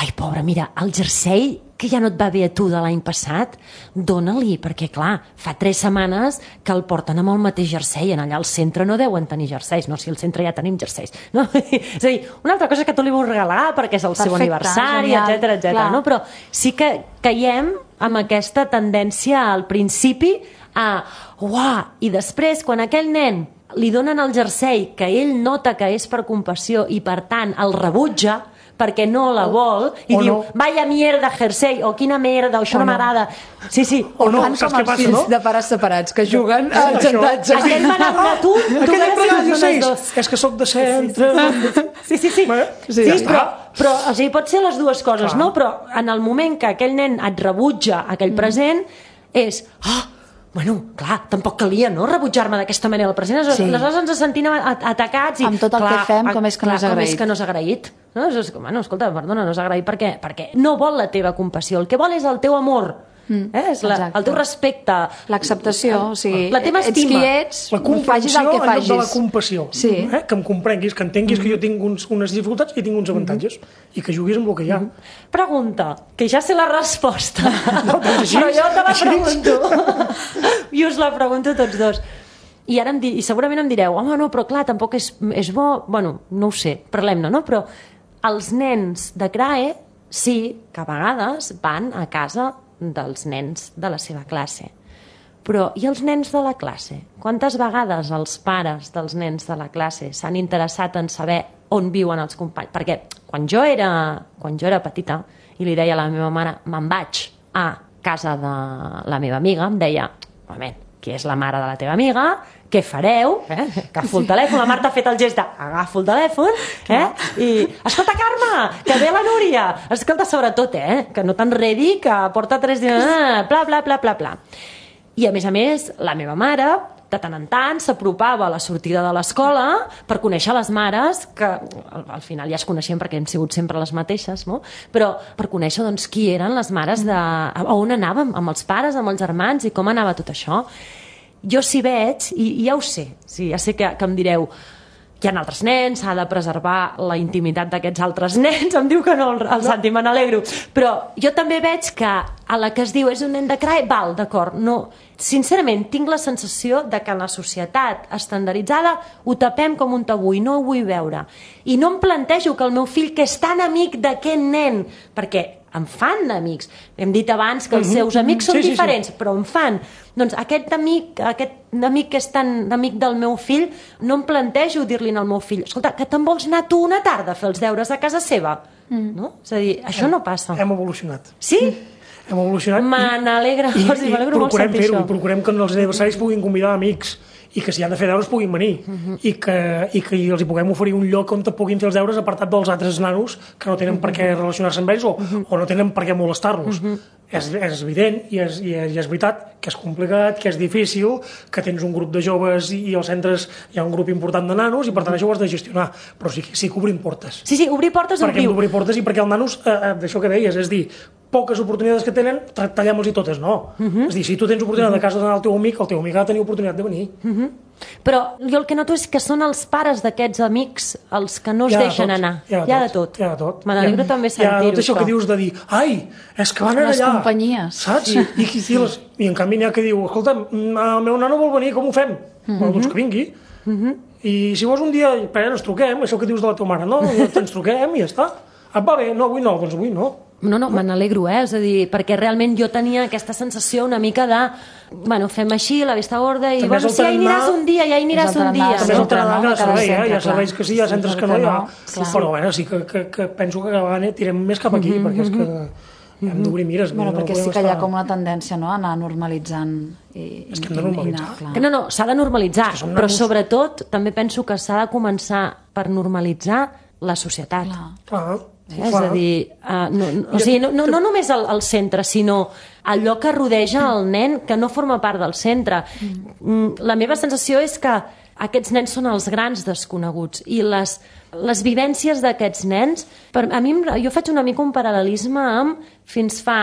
Ai, pobre, mira, el jersei que ja no et va bé a tu de l'any passat, dóna-li, perquè clar, fa tres setmanes que el porten amb el mateix jersei, en allà al centre no deuen tenir jerseis, no, si al centre ja tenim jerseis, no? És a dir, una altra cosa que tu li vols regalar perquè és el Perfecte, seu aniversari, etcètera, etcètera, no? Però sí que caiem amb aquesta tendència al principi a, uah, i després quan aquell nen li donen el jersei que ell nota que és per compassió i per tant el rebutja perquè no la vol i o diu, no. Vaya mierda jersei, o quina merda, o això o no, no m'agrada. Sí, sí. O no, fan saps com què passa, els no? fills de pares separats que juguen al xantatge. Aquell va anar a tu, tu aquell em regala jerseis. És que sóc de centre. Sí, sí, sí. Sí, sí però, però o sigui, pot ser les dues coses, no? Però en el moment que aquell nen et rebutja aquell present, és... Ah, bueno, clar, tampoc calia, no?, rebutjar-me d'aquesta manera el present. Sí. Aleshores ens sentim atacats i... Amb tot el clar, que fem, com és que clar, no és agraït. Com és que no és agraït. No? És, bueno, escolta, perdona, no és agraït perquè, perquè no vol la teva compassió, el que vol és el teu amor. Mm, eh? És la, el teu respecte, l'acceptació, o sigui, la teva estima, ets qui ets, la comprensió el que en lloc de la compassió, sí. eh? Que em comprenguis, que entenguis mm. que jo tinc uns, unes dificultats i tinc uns avantatges, mm. i que juguis amb el que hi ha. Mm. Pregunta, que ja sé la resposta, no, doncs però jo te la pregunto i us la pregunto tots dos. I ara em di, i segurament em direu, home, no, però clar, tampoc és, és bo, bueno, no ho sé, parlem-ne, no? Però els nens de C R A E sí que a vegades van a casa dels nens de la seva classe. Però i els nens de la classe? Quantes vegades els pares dels nens de la classe s'han interessat en saber on viuen els companys? Perquè quan jo era, quan jo era petita i li deia a la meva mare, me'n vaig a casa de la meva amiga, em deia, moment, que és la mare de la teva amiga, què fareu? Eh? Agafo el telèfon, la Marta ha fet el gest de agafo el telèfon, eh? I escolta, Carme, que ve la Núria. Escolta, sobretot, eh? Que no t'enredi, que porta tres dies, bla, bla, bla, bla, bla. I a més a més, la meva mare, de tant en tant, s'apropava a la sortida de l'escola per conèixer les mares, que al, al final ja es coneixien perquè hem sigut sempre les mateixes, no? Però per conèixer doncs, qui eren les mares, de, a on anàvem, amb els pares, amb els germans, i com anava tot això. Jo s'hi veig, i, i ja ho sé, sí, ja sé que, que em direu hi ha altres nens, s'ha de preservar la intimitat d'aquests altres nens, em diu que no, el, el Santi, me n'alegro, però jo també veig que a la que es diu és un nen de C R A E, val, d'acord, no, sincerament tinc la sensació de que en la societat estandarditzada ho tapem com un tabú i no ho vull veure, i no em plantejo que el meu fill, que és tan amic d'aquest nen, perquè em fan amics, hem dit abans que els seus amics són sí, diferents, sí, sí. però em fan, doncs aquest amic aquest amic que és tan amic del meu fill, no em plantejo dir-li al meu fill, escolta, que te'n vols anar tu una tarda a fer els deures a casa seva, mm. no? És a dir, això hem, no passa. Hem evolucionat. Sí? Hem evolucionat. Me n'alegra, i, i, i procurem fer-ho, i procurem que els aniversaris puguin convidar amics, i que si han de fer deures puguin venir, uh-huh. I, que, i que els hi puguem oferir un lloc on puguin fer els deures apartat dels altres nanos que no tenen uh-huh. per què relacionar-se amb ells o, uh-huh. o no tenen per què molestar-los. Uh-huh. És, és evident i és, i, és, i és veritat que és complicat, que és difícil, que tens un grup de joves i, i als centres hi ha un grup important de nanos i per tant això ho has de gestionar, però sí, sí que obrim portes. Sí, sí, obrir portes perquè obriu. Perquè obrir portes i perquè els nanos, eh, d'això que deies, és dir, poques oportunitats que tenen, tallem-los i totes, no. Uh-huh. És dir, si tu tens oportunitat de casa d'anar al teu amic, el teu amic ha de tenir oportunitat de venir. Uh-huh. Però jo el que noto és que són els pares d'aquests amics els que no es ja deixen tot, anar. Ja, ja de tot. Ja de tot. Me n'alegro ja, també sentir-ho. Ja tot això que dius de dir, ai, és que van anar les allà. Les companyies. Saps? Sí. I, i, les, I en canvi n'hi ha que diu, escolta, el meu nano vol venir, com ho fem? Uh-huh. Bueno, doncs que vingui. Uh-huh. I si vols un dia, espera, ens truquem, això que dius de la teva mare, no? Ens truquem i ja està. Et va bé? No, avui no, doncs avui no. No, no, me n'alegro, eh? És a dir, perquè realment jo tenia aquesta sensació una mica de, bueno, fem així, la vista gorda, i bueno, si ja hi aniràs un dia, ja hi aniràs un dia. També és el tarannà cada servei, eh? Hi ha serveis que sí, hi ha centres que no hi ha. Però, bueno, sí que, que, que penso que cada vegada tirem més cap aquí, perquè és que hem d'obrir mires. Bueno, perquè sí que hi ha com una tendència, no?, a anar normalitzant. I, és que hem de normalitzar. Que no, no, s'ha de normalitzar, però sobretot també penso que s'ha de començar per normalitzar la societat. Clar. Clar. Eh? És a dir, uh, no, no, o sigui, no, no, no només el, el centre, sinó allò que rodeja el nen que no forma part del centre. Mm. La meva sensació és que aquests nens són els grans desconeguts i les, les vivències d'aquests nens, per, a mi, jo faig una mica un paral·lelisme amb fins fa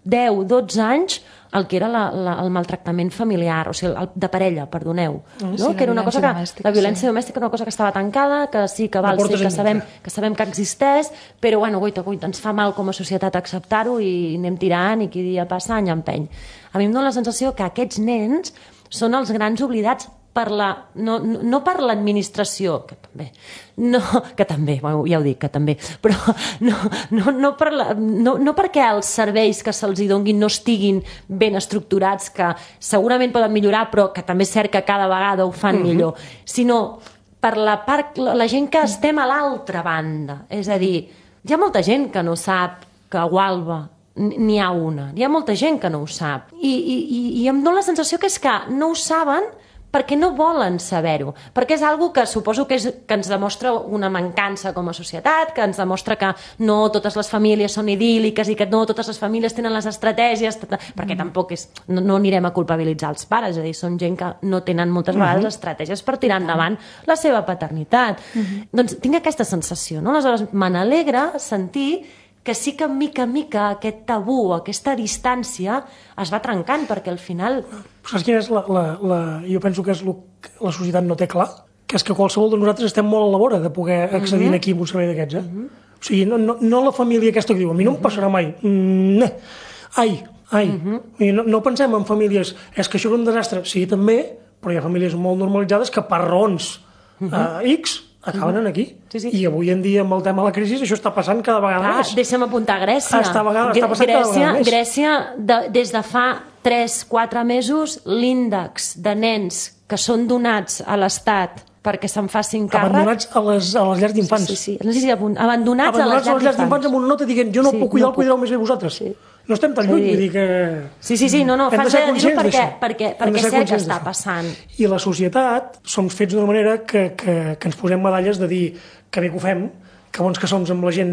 deu, dotze anys el que era la, la, el maltractament familiar, o sigui, el, de parella, perdoneu, no? Sí, que era una cosa que domèstica, la violència sí. domèstica era una cosa que estava tancada, que sí que val, sí, que sabem, que sabem que existeix, però bueno, guaita, guaita, ens fa mal com a societat acceptar-ho i anem tirant i qui dia passa any empeny. A mi em dóna la sensació que aquests nens són els grans oblidats per la, no, no, no per l'administració, que també, no, que també, bueno, ja ho dic, que també, però no, no, no, per la, no, no perquè els serveis que se'ls donguin no estiguin ben estructurats, que segurament poden millorar, però que també és cert que cada vegada ho fan mm-hmm. millor, sinó per la part, la gent que estem a l'altra banda. És a dir, hi ha molta gent que no sap que a Gualba n'hi ha una, hi ha molta gent que no ho sap, i, i, i em dóna la sensació que és que no ho saben perquè no volen saber-ho, perquè és algo que suposo que, és, que ens demostra una mancança com a societat, que ens demostra que no totes les famílies són idíl·liques i que no totes les famílies tenen les estratègies, perquè tampoc és, no, no anirem a culpabilitzar els pares, és a dir, són gent que no tenen moltes vegades uh-huh. estratègies per tirar endavant la seva paternitat. Uh-huh. Doncs tinc aquesta sensació, no? Aleshores me n'alegra sentir que sí que mica en mica aquest tabú, aquesta distància es va trencant, perquè al final... Saps quina és la, la, la... Jo penso que és el que la societat no té clar, que és que qualsevol de nosaltres estem molt a la vora de poder accedir uh-huh. aquí a un servei d'aquests, eh? Uh-huh. O sigui, no, no, no la família aquesta que diu, a mi no em passarà mai. Mm, ai, ai. Uh-huh. no, no pensem en famílies, és que això és un desastre. Sí, també, però hi ha famílies molt normalitzades que per raons uh-huh. uh, X acaben uh-huh. aquí. Sí, sí. I avui en dia, amb el tema de la crisi, això està passant cada vegada Clar, més. Deixa'm apuntar Grècia. Està, vegada, està passant Grècia, cada vegada més. Grècia, de, des de fa tres quatre mesos, l'índex de nens que són donats a l'Estat perquè se'n facin càrrec... Abandonats a les, a les llars d'infants. Sí, sí, sí. No sé si abandonats, abandonats a les llars d'infants. d'infants amb una nota dient jo no sí, puc cuidar, no el cuidareu més bé vosaltres. Sí. no estem tan lluny, vull dir que... Sí, sí, sí, no, no, fas bé de dir-ho perquè, perquè, perquè és cert que està passant. I la societat som fets d'una manera que, que, que ens posem medalles de dir que bé que ho fem, que bons que som amb la gent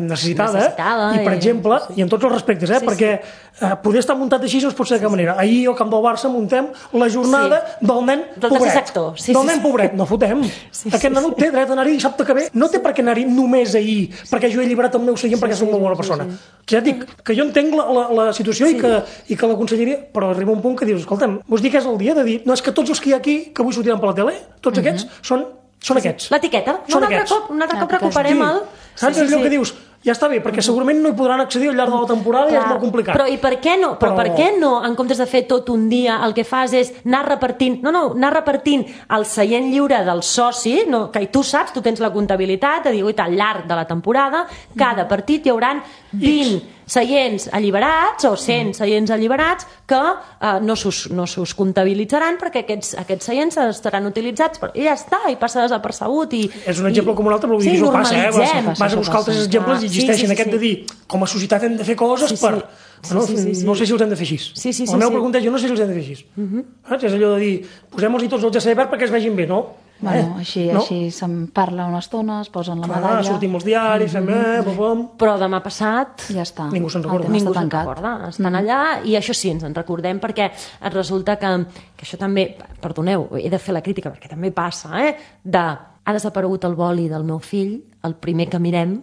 necessitada, necessitada i per i... exemple, sí. i en tots els respectes, eh, sí, perquè sí. Eh, poder estar muntat així no es pot ser de cap sí, manera. Ahir al camp del Barça muntem la jornada sí. del nen del pobret. Sí, del sí, nen sí. pobret, no fotem. Sí, Aquest sí, nen sí. té dret a anar-hi dissabte que ve, no té per què anar-hi només ahir, perquè jo he alliberat el meu seient sí, perquè sí, soc una bona persona. Sí, sí. Que ja dic, que jo entenc la, la, la situació sí. i, que, i que la conselleria, però arriba un punt que dius, escolta'm, vols dir que és el dia de dir, no, és que tots els que hi ha aquí, que avui sortiran per la tele, tots uh-huh. aquests són Són aquests. L'etiqueta. No, un altre cop, un altre cop recuperem el... Saps allò que dius? Ja està bé, perquè segurament no hi podran accedir al llarg de la temporada i és molt complicat. Però i per què no? Però per què no, en comptes de fer tot un dia, el que fas és anar repartint... No, no, anar repartint el seient lliure del soci, no, que tu saps, tu tens la comptabilitat, de dir, al llarg de la temporada, cada partit hi hauran vint seients alliberats o cent seients alliberats que eh, no s'us no s'us comptabilitzaran perquè aquests, aquests seients estaran utilitzats però, i ja està, i passa desapercebut i, és un exemple i, com un altre, però sí, això passa, eh? vas, vas a buscar altres exemples i existeixen sí, sí, sí, aquest sí. de dir, com a societat hem de fer coses sí, sí. per... Sí, no, sí, sí, sí. no sé si els hem de fer així. Sí, sí, sí, la meva sí. pregunta és, jo no sé si els hem de fer així. Uh-huh. És allò de dir, posem-los-hi tots els G C verd perquè es vegin bé, no? Bueno, eh? així, no? així se'n parla una estona, es posen la Clar, medalla... Sortim als diaris, fem... Eh, bom, bom. Però demà passat... Ja està. Ningú se'n recorda. Ningú se'n recorda. Estan mm. allà i això sí, ens en recordem perquè et resulta que, que això també... Perdoneu, he de fer la crítica perquè també passa, eh? De... Ha desaparegut el boli del meu fill, el primer que mirem...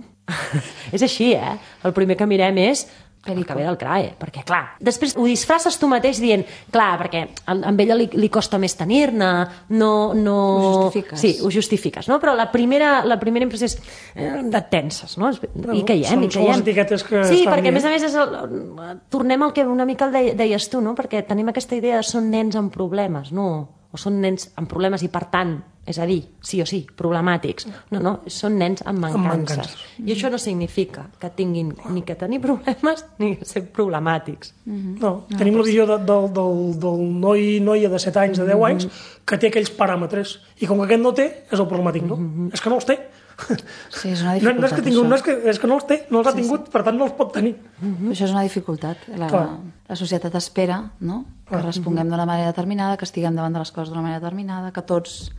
és així, eh? El primer que mirem és... el que ve del C R A E, perquè clar, després ho disfresses tu mateix dient, clar, perquè amb ella li, li costa més tenir-ne, no, no... Ho justifiques. Sí, ho justifiques, no? Però la primera, la primera impressió és eh, de tenses, no? no I caiem, són, i caiem. Són les etiquetes que sí, estan perquè dient. a més a més és el, tornem al que una mica el deies tu, no? Perquè tenim aquesta idea de són nens amb problemes, no? O són nens amb problemes i per tant, és a dir, sí o sí, problemàtics. No, no, són nens amb mancances. Amb mancances. I això no significa que tinguin ni que tenir problemes ni que ser problemàtics. Mm-hmm. No, no, tenim no, la visió de, del, del, del noi noia de set anys, de deu anys, que té aquells paràmetres. I com que aquest no té, és el problemàtic, no? Mm-hmm. És que no els té. Sí, és una dificultat, no, no és que tingui, no és, que, és que no els té, no els ha sí, tingut, sí. per tant no els pot tenir. Mm-hmm. Això és una dificultat. La, la societat espera, no? Que responguem mm-hmm. d'una manera determinada, que estiguem davant de les coses d'una manera determinada, que tots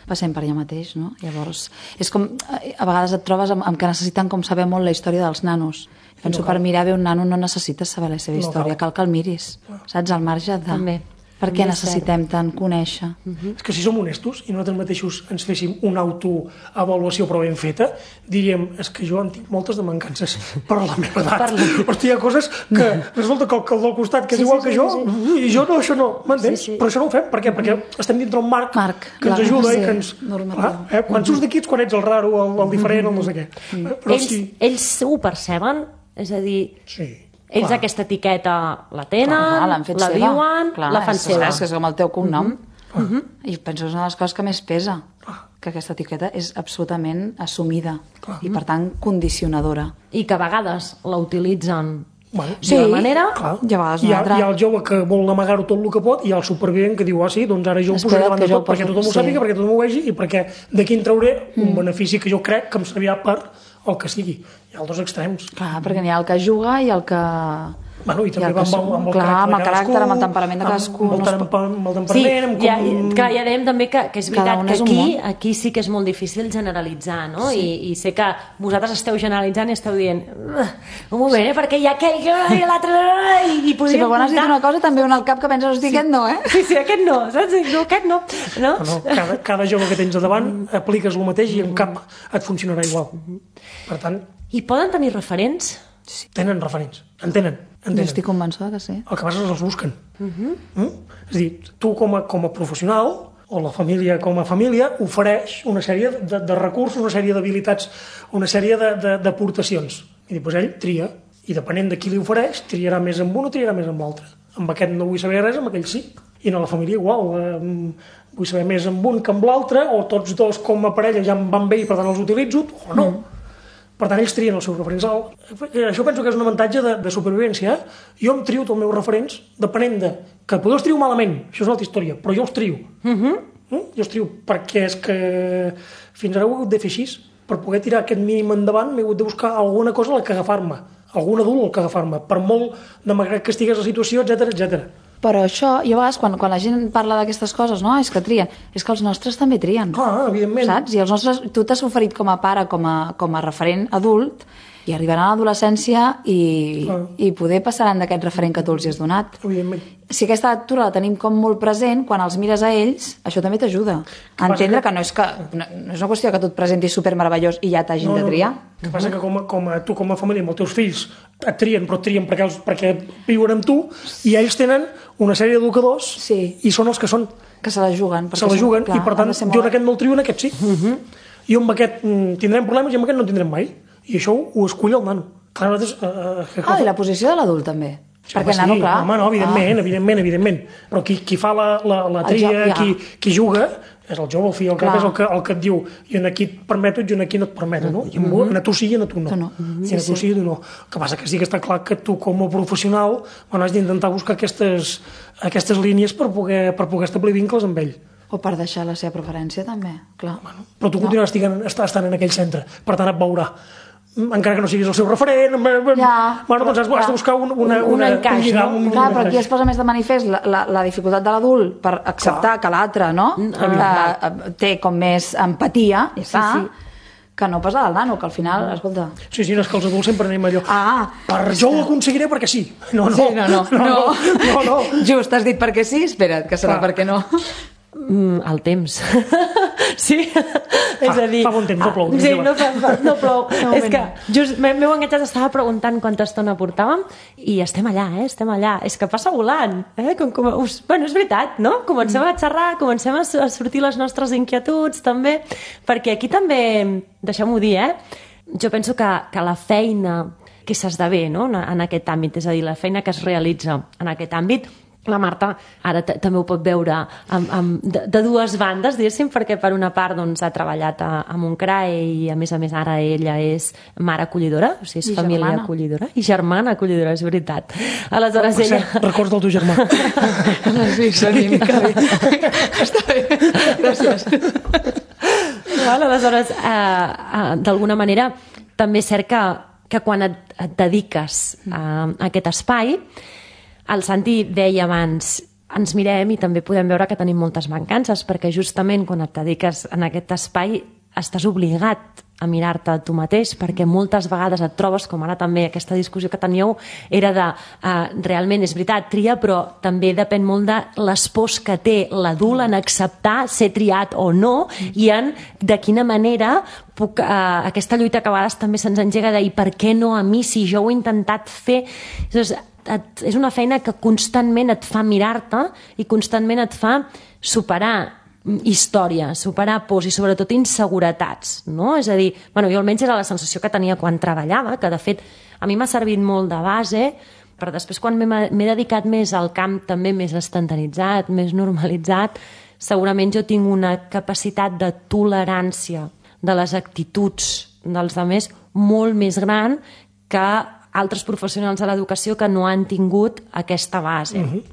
passem per allà mateix, no? Llavors, és com, a vegades et trobes amb, amb que necessiten com saber molt la història dels nanos. Penso no per mirar bé un nano no necessites saber la seva història, no cal. cal que el miris, saps? Al marge de... També. Per què necessitem tant conèixer? Uh-huh. És que si som honestos i nosaltres mateixos ens féssim una autoavaluació però ben feta, diríem, és que jo en tinc moltes de mancances per la meva edat. La... Hosti, hi ha coses que resulta que el, que el del costat, que és sí, igual sí, que sí, jo, sí. i jo no, això no, m'entens? Sí, sí. Però això no ho fem, per què? Perquè estem dintre un marc, marc que ens ajuda i que ens... Ah, eh? Quan surts d'aquí ets quan ets el raro, el, el diferent, el no sé què. Mm. Però ells, sí. ells ho perceben? És a dir... Sí. Ells clar. Aquesta etiqueta la tenen, clar, la seva. Viuen, clar, la fan és, seva. És que és com el teu cognom. Uh-huh. Uh-huh. I penso que és una de les coses que més pesa, que aquesta etiqueta és absolutament assumida clar. I, per tant, condicionadora. I que a vegades la utilitzen bueno, sí, d'una manera clar. I a vegades hi ha, hi ha el jove que vol amagar-ho tot el que pot i hi ha el supervivent que diu, ah sí, doncs ara jo ho posaré davant de tot perquè tothom ho sàpiga, sí. perquè tothom ho vegi i perquè d'aquí en trauré mm. un benefici que jo crec que em servirà per el que sigui. Hi ha els dos extrems. Clar, perquè n'hi ha el que juga i el que... Bueno, i també va amb, amb, amb el clar, caràcter amb el caràcter, amb el temperament de cadascú. Amb, amb, amb, amb el temperament... Sí, amb com... ja, clar, ja dèiem també que, que és veritat que aquí, aquí sí que és molt difícil generalitzar, no? Sí. I, I sé que vosaltres esteu generalitzant i esteu dient un moment, eh? Perquè hi ha aquell i l'altre... I, i sí, però quan has dit una cosa també un al cap que penses, hosti, sí. aquest no, eh? Sí, sí, aquest no, saps? No, aquest no. no? no, no cada, cada jove que tens a davant apliques el mateix i en cap et funcionarà igual. Per tant... I poden tenir referents? Sí. Tenen referents, en tenen. Jo estic convençuda que sí. El que passa és que els busquen. Uh-huh. Mm? És a dir, tu com a, com a professional, o la família com a família, ofereix una sèrie de, de recursos, una sèrie d'habilitats, una sèrie d'aportacions. I després ell tria, i depenent de qui li ofereix, triarà més amb un o triarà més amb l'altre. Amb aquest no vull saber res, amb aquell sí. I a la família igual, eh, vull saber més amb un que amb l'altre, o tots dos com a parella ja em van bé i per tant els utilitzo, o no. Mm. Per tant, ells trien els seus referents. Això penso que és un avantatge de, de supervivència. Jo em trio tots els meus referents depenent de... Que potser els trio malament, això és una altra història, però jo els trio. Uh-huh. Mm? Jo els trio perquè és que fins ara ho he hagut de fer així. Per poder tirar aquest mínim endavant m'he hagut de buscar alguna cosa a la que agafar-me. algun adult el que agafar-me, per molt de malgrat que estigués la situació, etcètera, etcètera. Però això, i a vegades quan, quan la gent parla d'aquestes coses, no, és que trien, és que els nostres també trien. Ah, evidentment. Saps? I els nostres, tu t'has oferit com a pare, com a, com a referent adult, i arribaran a l'adolescència i, ah. i poder passaran d'aquest referent que tu els has donat. Evidentment. Si aquesta lectura la tenim com molt present, quan els mires a ells, això també t'ajuda a entendre que... que no és que no, no és una qüestió que tu et presentis supermeravellós i ja t'hagin no, no, de triar. El que passa que com a, com a, tu com a família amb els teus fills et trien, però et trien perquè, els, perquè viuen amb tu i ells tenen una sèrie d'educadors sí. i són els que són. Que se la juguen. Se la juguen clar, i per tant jo en aquest no el trio, en aquest sí. Uh-huh. I amb aquest tindrem problemes i amb aquest no en tindrem mai. I això ho escull el nano. Clar, nosaltres, uh, ah, i la posició de l'adult també. Sí, perquè el nano, sí, clar... Home, no, evidentment, ah. evidentment, evidentment. Però qui, qui fa la, la, la tria, joc, ja. qui, qui juga, és el jove, el fill, el cap és el que, el que et diu i en aquí et permeto i en aquí no et permeto, no? I en, mm-hmm. en tu sí i en tu no. Tu no. Mm-hmm. I en tu sí i tu no. El que passa que sí que està clar que tu com a professional bueno, has d'intentar buscar aquestes, aquestes línies per poder, per poder establir vincles amb ell. O per deixar la seva preferència, també, clar. Bueno, però tu continuaràs no. estant en aquell centre, per tant et veurà. Encara que no siguis el seu referent, ja, bueno, doncs has, has de buscar un, una, un, un encaix, un, no? un, clar, un però aquí es posa més de manifest la, la, la dificultat de l'adult per acceptar clar. Que l'altre no? Uh, té com més empatia sí, sí. que no pas el nano, que al final, escolta... Sí, sí, no, és que els adults sempre anem allò. Ah, per jo ho aconseguiré perquè sí. No, no, sí, no, no, no, no. no, no. Just has dit perquè sí, espera't, que serà perquè no. Mm, el temps. sí? Fa, és a dir... Fa bon temps, no plou. Sí, no, fa, fa, no plou. No, és que just m'heu enganxat, estava preguntant quanta estona portàvem i estem allà, eh? Estem allà. És que passa volant. Eh? Com, com, us, bueno, és veritat, no? Comencem a xerrar, comencem a, a sortir les nostres inquietuds, també, perquè aquí també, deixem-ho dir, eh? Jo penso que, que la feina que s'esdevé no? en aquest àmbit, és a dir, la feina que es realitza en aquest àmbit, la Marta ara també ho pot veure amb, amb, de, de dues bandes, diguéssim, perquè per una part doncs, ha treballat a, a Montcrae i a més a més ara ella és mare acollidora, o sigui, és I família germana. acollidora i germana acollidora, és veritat. Aleshores oh, ella... Cert, records del teu germà. sí, sí, està bé. Gràcies. Val, aleshores, eh, eh, d'alguna manera, també és cert que, que quan et, et dediques a, a aquest espai, el Santi deia abans, ens mirem i també podem veure que tenim moltes mancances, perquè justament quan et dediques en aquest espai estàs obligat a mirar-te a tu mateix, perquè moltes vegades et trobes, com ara també aquesta discussió que teníeu, era de, uh, realment és veritat, tria, però també depèn molt de les pors que té l'adult en acceptar ser triat o no, i en de quina manera puc, uh, aquesta lluita que a vegades també se'ns engega de i per què no a mi si jo ho he intentat fer. Llavors, et, és una feina que constantment et fa mirar-te i constantment et fa superar història, superar pors i sobretot inseguretats, no? És a dir, bueno, jo almenys era la sensació que tenia quan treballava, que de fet a mi m'ha servit molt de base, però després quan m'he dedicat més al camp també més estandarditzat, més normalitzat, segurament jo tinc una capacitat de tolerància de les actituds dels altres molt més gran que altres professionals de l'educació que no han tingut aquesta base. Uh-huh.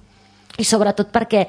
I sobretot perquè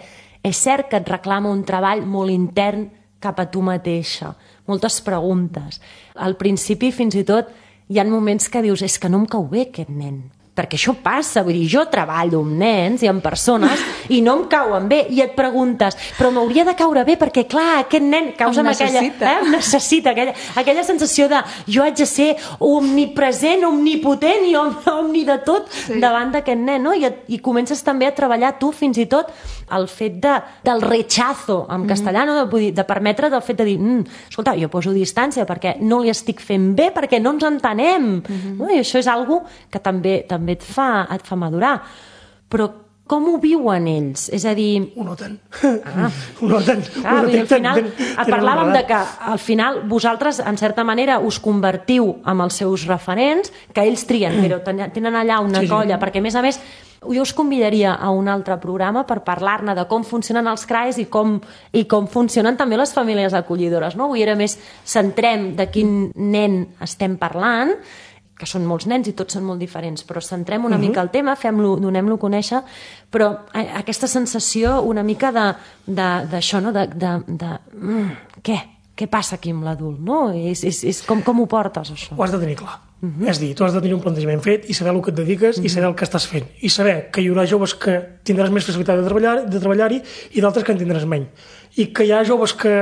és cert que et reclama un treball molt intern cap a tu mateixa, moltes preguntes. Al principi, fins i tot, hi ha moments que dius, és que no em cau bé aquest nen, perquè això passa, vull dir, jo treballo amb nens i amb persones i no em cauen bé, i et preguntes, però m'hauria de caure bé perquè, clar, aquest nen causa aquella, eh, necessita aquella, aquella sensació de jo haig de ser omnipresent, omnipotent i om, omni de tot sí. davant d'aquest nen, no? I, i comences també a treballar tu fins i tot el fet de, del rechazo en castellà, no? de, de permetre del fet de dir, mm, escolta, jo poso distància perquè no li estic fent bé, perquè no ens entenem, mm-hmm. no? I això és algo que també també et fa, et fa madurar. Però com ho viuen ells? És a dir... Ho noten. Ah. Ho noten. Clar, ho noten. Al final, ten, parlàvem de que al final vosaltres, en certa manera, us convertiu en els seus referents, que ells trien, però tenen allà una sí, colla, sí. perquè, a més a més, jo us convidaria a un altre programa per parlar-ne de com funcionen els C R A Es i com, i com funcionen també les famílies acollidores. No? Avui era més centrem de quin nen estem parlant, que són molts nens i tots són molt diferents, però centrem una uh-huh. mica el tema, fem-lo, donem-lo a conèixer, però aquesta sensació una mica d'això, no? de, de, de mm, què? Què passa aquí amb l'adult? No? És, és, és com, com ho portes, això? Ho has de tenir clar. Uh-huh. És a dir, tu has de tenir un plantejament fet i saber el que et dediques uh-huh. i saber el que estàs fent. I saber que hi haurà joves que tindràs més facilitat de treballar de treballar-hi i d'altres que en tindràs menys. I que hi ha joves que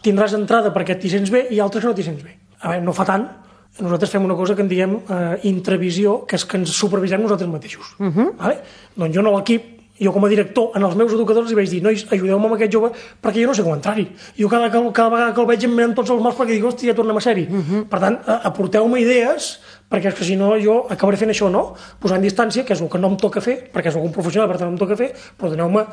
tindràs entrada perquè t'hi sents bé i altres que no t'hi sents bé. A veure, no fa tant, nosaltres fem una cosa que en diem eh, intravisió, que és que ens supervisem nosaltres mateixos. Uh-huh. Vale? Doncs jo no l'equip, jo com a director, en els meus educadors li vaig dir, nois, ajudeu-me amb aquest jove perquè jo no sé com entrar-hi. Jo cada, cada vegada que el veig em miren tots els morts perquè dic, hòstia, ja tornem a ser-hi. Uh-huh. Per tant, aporteu-me idees, perquè és que si no jo acabaré fent això, no? Posant distància, que és el que no em toca fer, perquè és un professional, per tant no em toca fer, però doneu-me,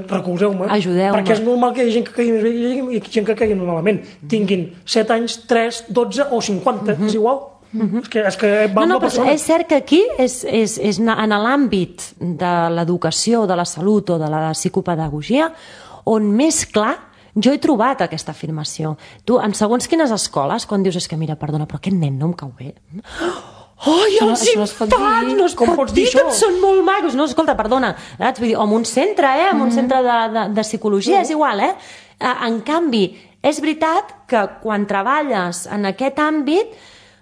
recolzeu-me. Ajudeu-me. Perquè és normal que hi hagi gent que caigui més bé i gent que caigui malament. Tinguin set anys, tres, dotze o cinquanta, uh-huh. és igual. Uh-huh. És que, és que va no, no, amb la persona. És cert que aquí és, és, és en l'àmbit de l'educació, de la salut o de la psicopedagogia on més clar jo he trobat aquesta afirmació. Tu, en segons quines escoles, quan dius, és que mira, perdona, però aquest nen no em cau bé. Ai, Això no- els això no es pot infants, dir. no es Com pot pots dir dir que això? són molt macos. No, escolta, perdona, saps? Vull dir, o en un centre, eh? En un centre de, de, de psicologia, és igual, eh? En canvi, és veritat que quan treballes en aquest àmbit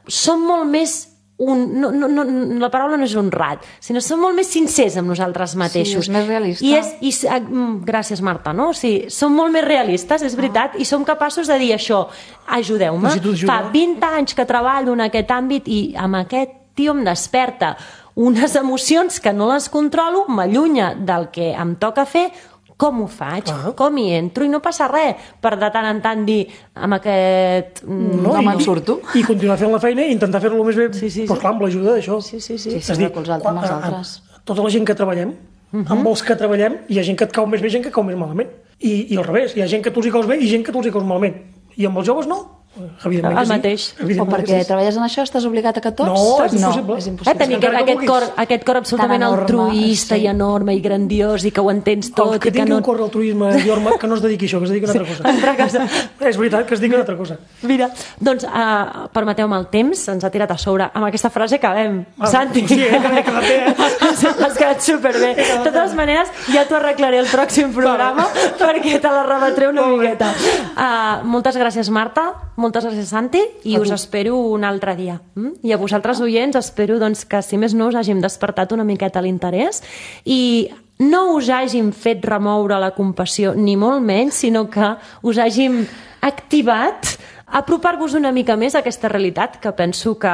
som molt més un, no, no, no, la paraula no és honrat, sinó som molt més sincers amb nosaltres mateixos. Sí, és més realista. I és, i, s- ah, mm, gràcies, Marta, no? O sigui, som molt més realistes, és veritat, i som capaços de dir això, ajudeu-me. Necessito ajuda. Fa vint anys que treballo en aquest àmbit i amb aquest tio em desperta unes emocions que no les controlo, m'allunya del que em toca fer. Com ho faig? Clar. Com hi entro? I no passa res per de tant en tant dir amb aquest... mm, No me'n surto. I continuar fent la feina i intentar fer-lo el més bé, Sí, sí, però sí. clar, amb l'ajuda d'això. Sí, sí, sí. Sí, sí, És dir, recolzar quan- els a- a- altres. tota la gent que treballem, uh-huh. amb els que treballem, hi ha gent que et cau més bé i gent que et cau més malament. I, i al revés, hi ha gent que tu els hi caus bé i gent que tu els hi caus malament. I amb els joves no. Evidentment El que sí. mateix. O Evidentment perquè que sí. treballes en això estàs obligat a que tots? No, és no, impossible. és Eh, impossible. tenir encara aquest, que aquest, cor, vulguis. aquest cor absolutament Tan enorme, altruista sí. i enorme i grandiós i que ho entens tot Els que i que tingui no... un cor d'altruisme i orme, que no es dediqui a això, que es dediqui a una altra cosa. altra cosa. És veritat, que es dediqui a una altra cosa. Mira, doncs, uh, permeteu-me el temps, ens ha tirat a sobre. Amb aquesta frase acabem. Ah, Santi. sí, eh, que m'he quedat bé, eh? Has quedat superbé. De totes maneres, ja t'ho arreglaré el pròxim programa perquè te la rebatré una Molt bé. miqueta. Uh, moltes gràcies, Marta. Moltes gràcies, Santi. I A us tu. espero un altre dia. Mm? I a vosaltres, oients, espero doncs, que, si més no, us hàgim despertat una miqueta l'interès i no us hàgim fet remoure la compassió, ni molt menys, sinó que us hàgim activat a apropar-vos una mica més a aquesta realitat, que penso que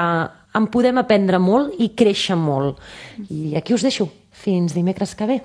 en podem aprendre molt i créixer molt. I aquí us deixo. Fins dimecres que ve.